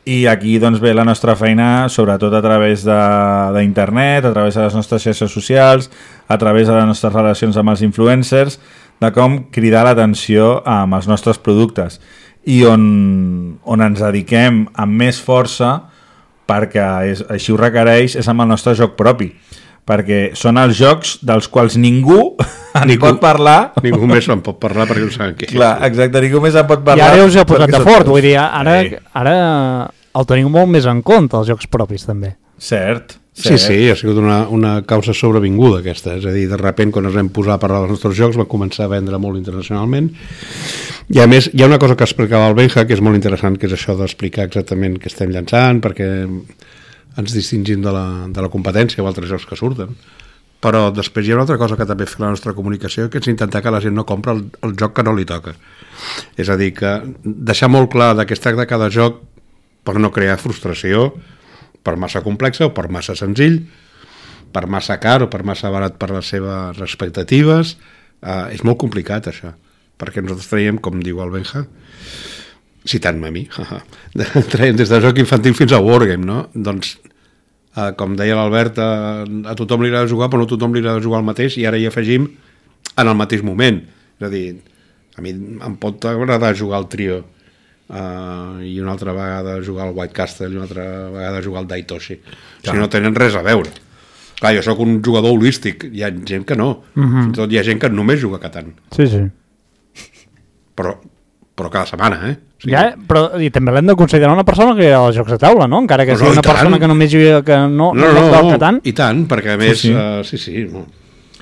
I aquí doncs ve la nostra feina sobretot a través d'internet, a través de les nostres xarxes socials, a través de les nostres relacions amb els influencers, de com cridar l'atenció amb els nostres productes i on, on ens dediquem amb més força perquè és, així ho requereix és amb el nostre joc propi, perquè són els jocs dels quals ningú en ningú, pot parlar. Ningú més en pot parlar perquè no saben què. Clar, exacte, ningú més en pot parlar. I ara us heu posat de fort, vull dir, ara, sí. ara el teniu molt més en compte, els jocs propis, també. Cert, cert. Sí, sí, ha sigut una, una causa sobrevinguda aquesta, és a dir, de sobte quan ens vam posar a parlar dels nostres jocs va començar a vendre molt internacionalment i a més hi ha una cosa que explicava el Benja que és molt interessant, que és això d'explicar exactament què estem llançant, perquè ens distingim de la, de la competència o altres jocs que surten, però després hi ha una altra cosa que també fa la nostra comunicació, que és intentar que la gent no compra el, el joc que no li toca, és a dir, que deixar molt clar de què es tracta cada joc per no crear frustració per massa complexa o per massa senzill, per massa car o per massa barat per les seves expectatives. Uh, és molt complicat això, perquè nosaltres traiem, com diu el Benja, citant-me a mi, traiem des de joc infantil fins a Wargame, no? Doncs, uh, com deia l'Albert, uh, a tothom li agrada jugar, però no a tothom li agrada jugar el mateix, i ara hi afegim en el mateix moment. És a dir, a mi em pot agradar jugar al trio uh, i una altra vegada jugar al White Castle i una altra vegada jugar al Daitoshi. Clar. Si no tenen res a veure. Clar, jo sóc un jugador holístic, hi ha gent que no. Uh-huh. Fins i tot hi ha gent que només juga a Catan. Sí, sí. Però, però cada setmana, eh? O sigui, ja, però i també l'hem de considerar una persona que era als jocs de taula, no? Encara que no, sigui no, una persona que només juga que no, no, no, no, no, no, Catan. I tant, perquè a més... Sí, sí. Uh, sí, sí no.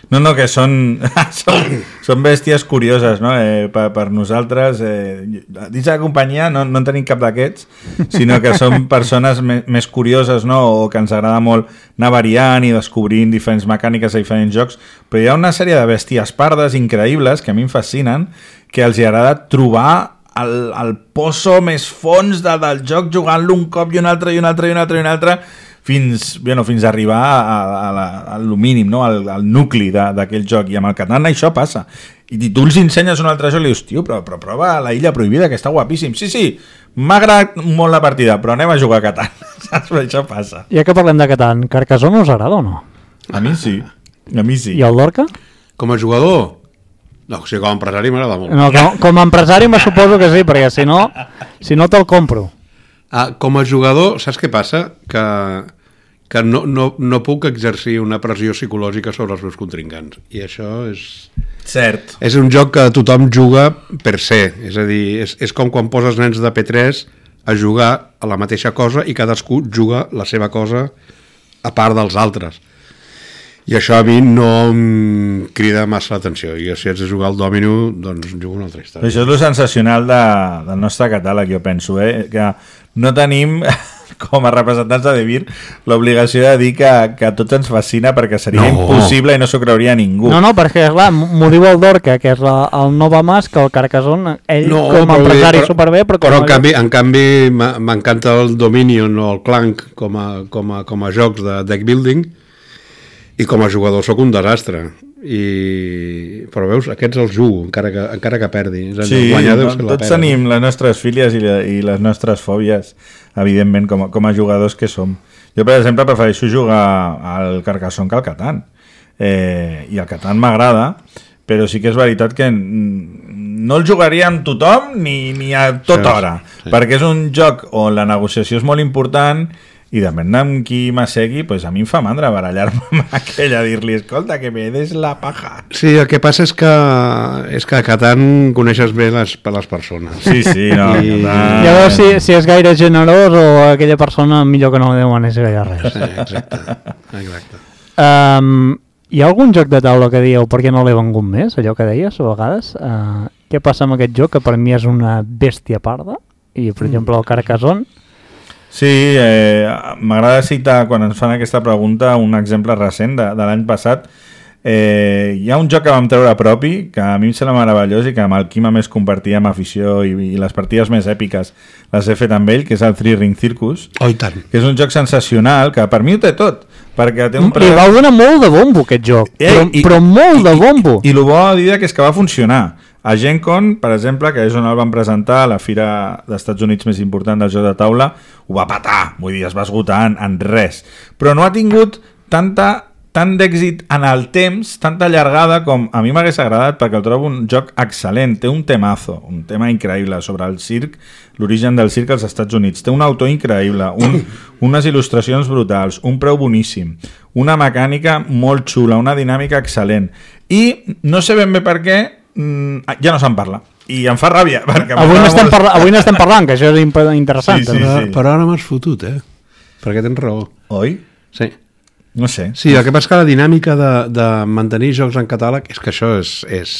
No, no, que són, són, són bèsties curioses, no? Eh, per, per nosaltres, eh, dins de la companyia no, no en tenim cap d'aquests, sinó que són persones me, més curioses, no? O que ens agrada molt anar variant i descobrint diferents mecàniques a diferents jocs, però hi ha una sèrie de bèsties pardes increïbles que a mi em fascinen, que els agrada trobar el, el pozo més fons de, del joc, jugant-lo un cop i un altre i un altre i un altre i un altre, fins, bueno, fins a arribar a, a, a, a lo mínim, no? al, al nucli d'aquell joc. I amb el Catan això passa. I tu els ensenyes un altre joc i li dius, tio, però, però prova la Illa Prohibida, que està guapíssim. Sí, sí, m'ha agradat molt la partida, però anem a jugar a Catan. Saps? Això passa. Ja que parlem de Catan, Carcassonne us agrada o no? A mi sí. A mi sí. I el Lorca? Com a jugador? No, o sigui, com a empresari m'agrada molt. No, com, com a empresari me suposo que sí, perquè si no, si no te'l compro. Ah, com a jugador, saps què passa? Que, que no, no, no puc exercir una pressió psicològica sobre els meus contrincants. I això és... Cert. És un joc que tothom juga per ser. És a dir, és, és com quan poses nens de P tres a jugar a la mateixa cosa i cadascú juga la seva cosa a part dels altres. I això a mi no em crida massa l'atenció. I si haig de jugar al Domino, doncs jugo una altra història. Això és lo sensacional de, del nostre catàleg, jo penso, eh? Que no tenim, com a representants de Devir, l'obligació de dir que, que a tots ens fascina, perquè seria no. impossible i no s'ho creuria ningú. No, no, perquè, clar, m'ho diu el Dorca, que és la, el Nova Mas, que el Carcassonne, ell no, com a empresari però, superbé, però... Però en canvi, en canvi m'encanta el Dominion o el Clank com a, com a, com a jocs de deck building, i com a jugador sóc un desastre. I... Però veus, aquests els jugo, encara que, encara que perdi. Sí, guanyar no, tots tenim les nostres fílies i, la, i les nostres fòbies, evidentment, com a, com a jugadors que som. Jo, per exemple, prefereixo jugar al Carcassonne que al Catan. Eh, I el Catan m'agrada, però sí que és veritat que no el jugaria amb tothom ni, ni a tota hora, sí. Perquè és un joc on la negociació és molt important i depèn amb qui m'assegui, pues a mi em fa mandra barallar-me amb aquell a dir-li, escolta, que me des la paja. Sí, el que passa és que és que a Catan coneixes bé les, les persones. Sí, sí, no. I... Ja veus si, si és gaire generós o aquella persona millor que no li demanis gaire res. Sí, exacte. exacte. Um, hi ha algun joc de taula que dieu per què no l'he vengut més, allò que deies a vegades? Uh, què passa amb aquest joc que per mi és una bèstia parda? I, per exemple, el Carcassonne. Sí, eh, m'agrada citar, quan ens fan aquesta pregunta, un exemple recent de, de l'any passat. Eh, hi ha un joc que vam treure propi, que a mi em sembla meravellós i que amb el Quim a més compartia amb afició i, i les partides més èpiques les he fet amb ell, que és el Three Ring Circus. Oh, i tant. Que és un joc sensacional, que per mi ho té tot. Perquè té un pre... I va donar molt de bombo aquest joc, eh, però, i, però molt i, de bombo. I, i, i el bo a dir que és que va funcionar. A Gen Con, per exemple, que és on el van presentar, a la fira dels Estats Units més important del joc de taula, ho va patar, vull dir, es va esgotar en, en res. Però no ha tingut tanta, tant d'èxit en el temps, tanta llargada com a mi m'hagués agradat, perquè el trobo un joc excel·lent. Té un temazo, un tema increïble sobre el circ, l'origen del circ als Estats Units. Té un autor increïble, un, unes il·lustracions brutals, un preu boníssim, una mecànica molt xula, una dinàmica excel·lent. I no sé ben bé per què, ja no se'n parla i em fa ràbia avui n'estem molt... parla... parlant, parlant que això és interessant. Sí, sí, però, sí. Però ara m'has fotut, eh? Perquè tens raó. Oi? Sí. No sé. Sí, el que passa que la dinàmica de, de mantenir jocs en catàleg és que això és... és...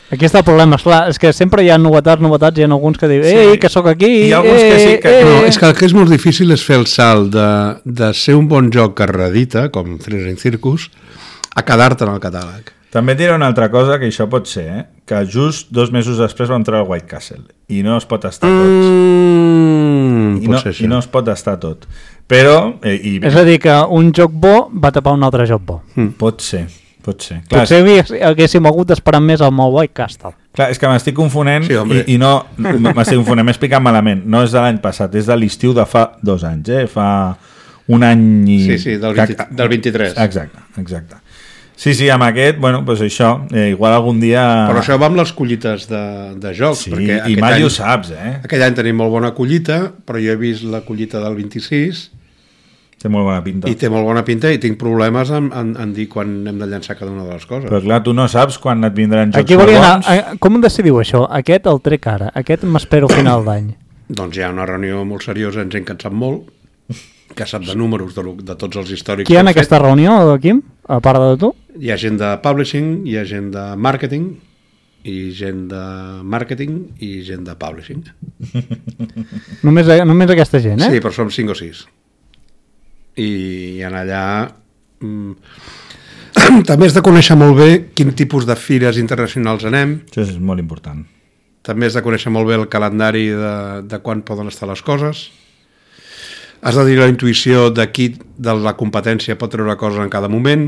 Aquí està el problema, esclar, és que sempre hi ha novetats, novetats, hi ha alguns que diuen, ei, que sóc aquí, hi ha alguns eh, que sí que... Eh, no, és que el que és molt difícil és fer el salt de, de ser un bon joc que redita, com Three Ring Circus, a quedar-te en el catàleg. També et diré una altra cosa, que això pot ser, eh? Que just dos mesos després va entrar el White Castle i no es pot estar tots. Mm, I, no, I no es pot estar tot. Però... Eh, i... És a dir, que un joc bo va tapar un altre joc bo. Mm. Pot ser, pot ser. Clar, potser és... haguéssim hagut d'esperar més al meu White Castle. Clar, és que m'estic confonent sí, i, i no... M'estic confonent, m'he explicat malament. No és de l'any passat, és de l'estiu de fa dos anys, eh? Fa un any i... Sí, sí, del, vint, del vint-i-tres. Exacte, exacte. Sí, sí, amb aquest, bueno, doncs això, eh, igual algun dia... Però això va amb les collites de, de jocs. Sí, perquè i mai any, ho saps, eh? Aquell any tenim molt bona collita, però jo he vist la collita del vint-i-sis... Té molt bona pinta. I té molt bona pinta i tinc problemes en, en, en dir quan hem de llançar cada una de les coses. Però clar, tu no saps quan et vindran jocs Aquí molt volia bons. anar, com decidiu això? Aquest el trec ara, aquest m'espero a final d'any. Doncs hi ha una reunió molt seriosa amb gent que en sap molt, que sap de números de, lo- de tots els històrics. Qui hi ha que en hem aquesta reunió, Quim? A part de tu? fet. Hi ha gent de publishing, hi ha gent de marketing, i gent de marketing i gent de publishing. Només, només aquesta gent, eh? Sí, però som cinc o sis. I en allà mm, també has de conèixer molt bé quin tipus de fires internacionals anem, Això és molt important. també has de conèixer molt bé el calendari de, de quan poden estar les coses, has de dir la intuïció de qui de la competència pot treure coses en cada moment.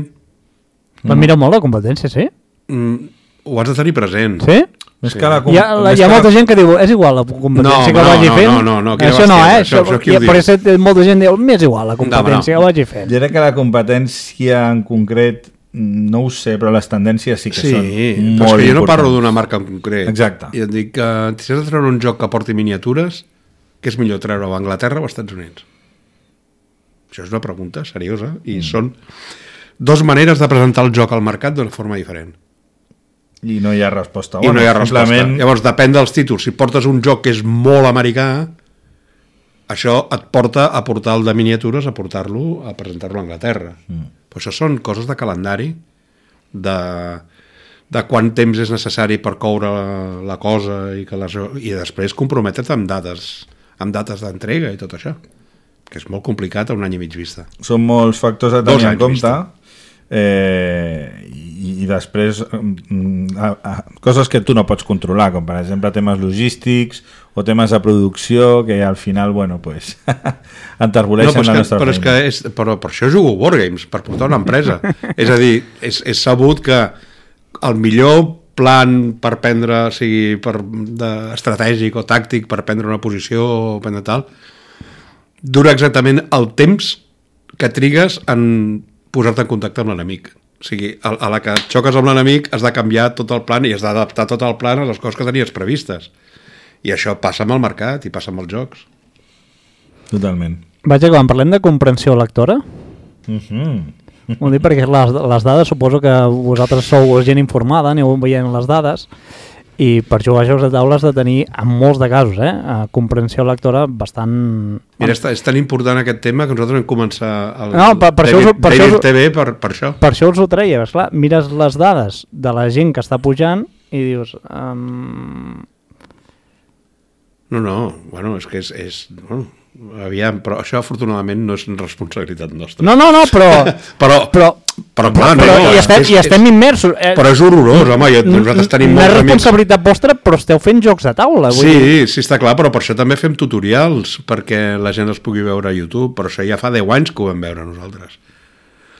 Van mirar molt la competència, sí? mm, ho has de tenir present. Sí? Més Sí. que la... Hi ha, la, més hi ha que molta la... gent que diu, és igual la competència No, que no, vagi no, fent. no, no, no, quina això no, bestiesa, eh? això- això qui ho Això, diu? per això molta gent diu, m'és igual la competència No, no. que vagi fent. Jo crec que la competència en concret, no ho sé, però les tendències sí que Sí, són però molt és que jo no parlo importants. d'una marca en concret. Exacte. I et dic que si has de treure un joc que porti miniatures, què és millor treure-ho a Anglaterra o als Estats Units? Això és una pregunta seriosa i mm. són dos maneres de presentar el joc al mercat d'una forma diferent. I no hi ha resposta. I no hi ha resposta. Simplement... Llavors depèn dels títols. Si portes un joc que és molt americà, això et porta a portar el de miniatures, a portar-lo, a presentar-lo a Anglaterra. Mm. Però això són coses de calendari, de, de quant temps és necessari per coure la, la cosa i, que les, i després comprometre't amb dates amb dates d'entrega i tot això, que és molt complicat a un any i mig vista. Són molts factors a Dos tenir en anys compte. vista. Eh, i, i després mm, a, a, coses que tu no pots controlar, com per exemple temes logístics o temes de producció que al final, bueno, pues enterboleixen no, la que, nostra però és feina. que és, però per això jugo Wargames, per portar una empresa. És a dir, és, és sabut que el millor plan per prendre, o sigui, per, de, estratègic o tàctic per prendre una posició o prendre tal, dura exactament el temps que trigues en posar-te en contacte amb l'enemic. O sigui, a, a la que xoques amb l'enemic has de canviar tot el plan i has d'adaptar tot el plan a les coses que tenies previstes. I això passa amb el mercat i passa amb els jocs. Totalment. Vaja, quan parlem de comprensió lectora, Mm-hmm. ho dic perquè les, les dades, suposo que vosaltres sou gent informada, aneu veient les dades, i per jugar a jocs de taula has de tenir, en molts de casos, eh, comprensió lectora bastant... Mira, és, és tan important aquest tema que nosaltres vam començar el, No, per- per això us- David, per això David us- T V per, per això. Per això us ho treia, esclar, mires les dades de la gent que està pujant i dius... Um... No, no, bueno, és que és... és bueno, aviam, però això afortunadament no és responsabilitat nostra. No, no, no, però... Però, però, però clar, no, però no, hi és, estem, és, hi estem immersos. Eh, però és horrorós, home, jo, nosaltres tenim no és molts amics... responsabilitat vostra, però esteu fent jocs de taula. Vull dir. Sí, sí, està clar, però per això també fem tutorials, perquè la gent els pugui veure a YouTube, però això ja fa deu anys que ho vam veure nosaltres.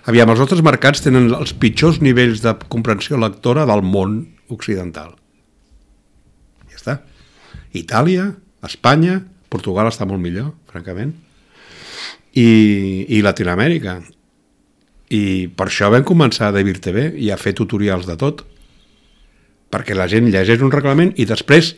Aviam, els nostres mercats tenen els pitjors nivells de comprensió lectora del món occidental. Ja està. Itàlia, Espanya, Portugal està molt millor, francament, i, i Latinoamèrica. I per això vam començar a David T V i a fer tutorials de tot, perquè la gent llegeix un reglament i després,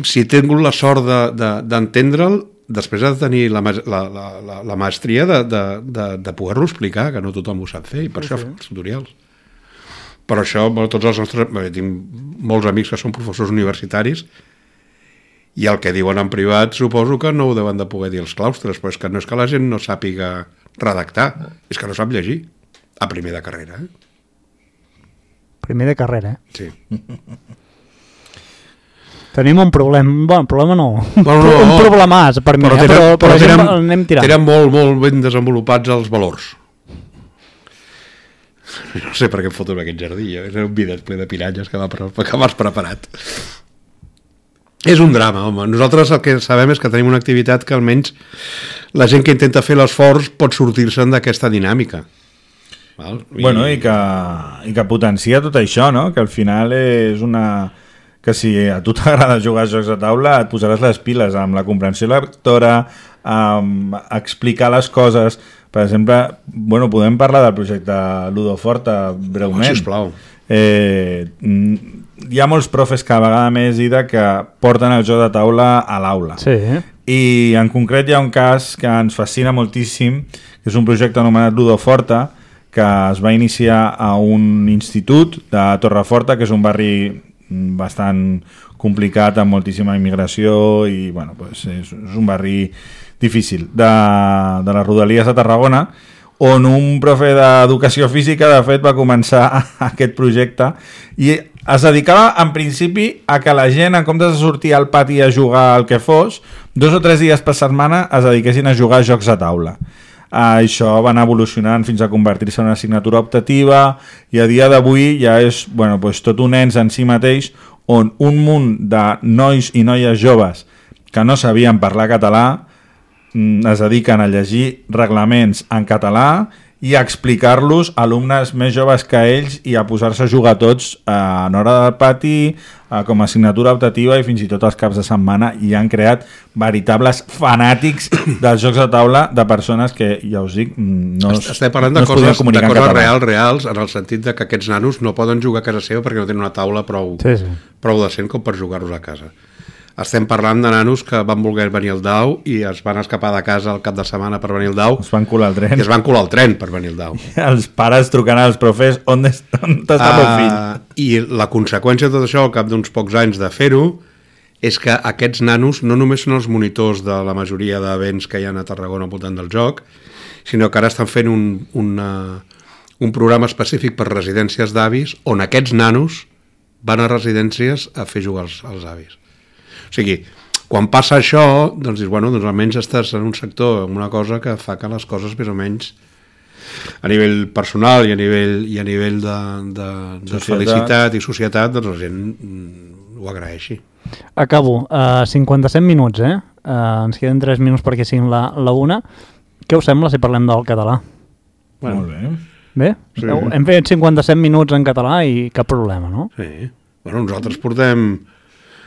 si he tingut la sort de, de, d'entendre'l, després ha de tenir la, la, la, la, la maestria de, de, de, de poder-lo explicar, que no tothom ho sap fer, i per sí, això sí. fem els tutorials. Per això, bueno, tots els nostres... Bé, tinc molts amics que són professors universitaris i el que diuen en privat suposo que no ho deuen de poder dir els claustres, però és que no és que la gent no sàpiga redactar, és que no sap llegir a primer de carrera. Eh? Primer de carrera, eh? Sí. Tenim un problema, bueno, problema no, Bueno, no, un problemàs per mi, però eh? tenen, però, però, però però tenen, anem tirant. tenen molt, molt ben desenvolupats els valors. No sé per què em foto en aquest jardí, és un bidet ple de piranyes que, va, que m'has preparat. És un drama, home. Nosaltres el que sabem és que tenim una activitat que almenys la gent que intenta fer l'esforç pot sortir-se'n d'aquesta dinàmica. Val? I... Bueno, i que, i que potencia tot això, no? Que al final és una... que si a tu t'agrada jugar a jocs de taula et posaràs les piles amb la comprensió lectora, amb explicar les coses Per exemple, bueno, podem parlar del projecte Ludoforta breument. Oh, sisplau. Eh, hi ha molts profes cada vegada més, Ida, que porten el joc de taula a l'aula. Sí. I en concret hi ha un cas que ens fascina moltíssim, que és un projecte anomenat Ludoforta, que es va iniciar a un institut de Torreforta, que és un barri bastant complicat, amb moltíssima immigració i bueno, pues és, és un barri difícil de, de les Rodalies de Tarragona, on un profe d'educació física de fet va començar aquest projecte i es dedicava en principi a que la gent, en comptes de sortir al pati a jugar al que fos, dos o tres dies per setmana es dediquessin a jugar a jocs de taula. Uh, això va anar evolucionant fins a convertir-se en una assignatura optativa i a dia d'avui ja és bueno, pues, tot un ens en si mateix on un munt de nois i noies joves que no sabien parlar català es dediquen a llegir reglaments en català i a explicar-los a alumnes més joves que ells i a posar-se a jugar tots eh, en hora del pati, eh, com a assignatura optativa i fins i tot els caps de setmana, i han creat veritables fanàtics dels jocs de taula de persones que, ja us dic, no es, Estem parlant no de es podien coses, de comunicar en coses català. reals, reals, en el sentit de que aquests nanos no poden jugar a casa seva perquè no tenen una taula prou, Sí, sí. prou decent com per jugar-los a casa. Estem parlant de nanos que van voler venir al Dau i es van escapar de casa el cap de setmana per venir al Dau Es van colar al i tren. es van colar al tren per venir al Dau. Els pares trucant als profes, on, es, on està el meu fill? Uh, I la conseqüència de tot això, al cap d'uns pocs anys de fer-ho, és que aquests nanos no només són els monitors de la majoria d'events que hi ha a Tarragona al voltant del joc, sinó que ara estan fent un, una, un programa específic per residències d'avis on aquests nanos van a residències a fer jugar als, als avis. O sigui, quan passa això, doncs dius, bueno, doncs almenys estàs en un sector, en una cosa que fa que les coses més o menys a nivell personal i a nivell, i a nivell de, de, de felicitat i societat, doncs la gent mm, ho agraeixi. Acabo. Uh, cinquanta-set minuts, eh? Uh, ens queden tres minuts perquè siguin la, la una. Què us sembla si parlem del català? Bueno, molt bé. Bé? Sí. Hem fet cinquanta-set minuts en català i cap problema, no? Sí. Bueno, nosaltres portem...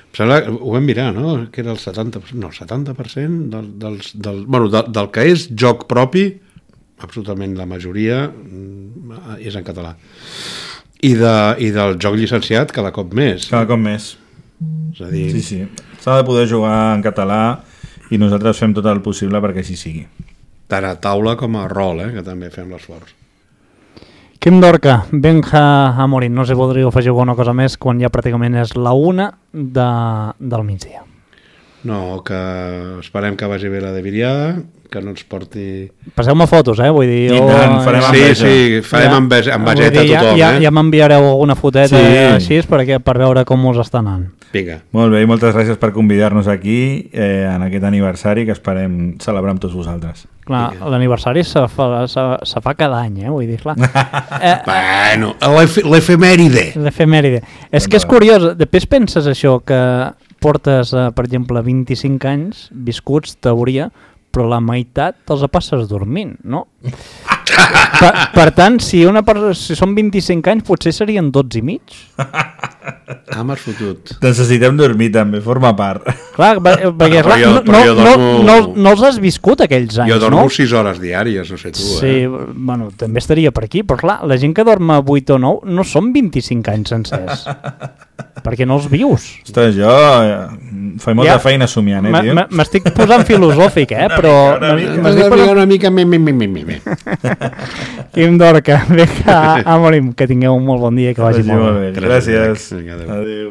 Em sembla, ho vam mirar, no? Que era el setanta per cent, no, setanta per cent del, dels, del, bueno, del, del que és joc propi, absolutament la majoria mm, és en català. I, de, I del joc llicenciat cada cop més. Cada cop més. És a dir... Sí, sí. S'ha de poder jugar en català i nosaltres fem tot el possible perquè així sigui. Tant a taula com a rol, eh, que també fem l'esforç. Quim Dorca, Benja Amorim, no sé si voldríeu afegir alguna cosa més quan ja pràcticament és la una de, del migdia. No, que esperem que vagi bé la de Viriada, que no ens porti... Passeu-me fotos, eh? Vull dir... I tant, farem Sí, enveja. sí, farem ja, enveja, envejeta a ja, tothom, ja, eh? ja m'enviareu alguna foteta Sí. així perquè, per veure com us està anant. Vinga. Molt bé, i moltes gràcies per convidar-nos aquí eh, en aquest aniversari que esperem celebrar amb tots vosaltres. Clar, l'aniversari se fa, se, se fa cada any, eh? Vull dir, clar. Eh, Bueno, l'ef- l'efemèride. L'efemèride. És que és curiós, després penses això, que portes, eh, per exemple, vint-i-cinc anys viscuts, teoria, però la meitat te'ls passes dormint, no? per, per tant, si, una persona, si són vint-i-cinc anys, potser serien dotze i mig. Ah, m'has fotut. Necessitem dormir també, forma part. Clar, per- perquè Ah, clar, però jo- no, però no, jo no, dormo- no, no els has viscut aquells anys, Jo dormo no? sis hores diàries, no sé tu, Sí, eh? bueno, també estaria per aquí, però clar, la gent que dorm a vuit o nou no són vint-i-cinc anys sencers, perquè no els vius. Ostres, jo eh, faig molta Ja. feina somiant, eh, M- tio? m- M'estic posant filosòfic, eh? Però una mica, m'estic M'has de posant... ficar una mica... Mi, mi, mi, mi, mi, mi. Quim Dorca, vinga, Amorim, que tingueu un molt bon dia i que vagi Vagi molt molt bé. bé. Gràcies. Vinga, adéu. Adéu.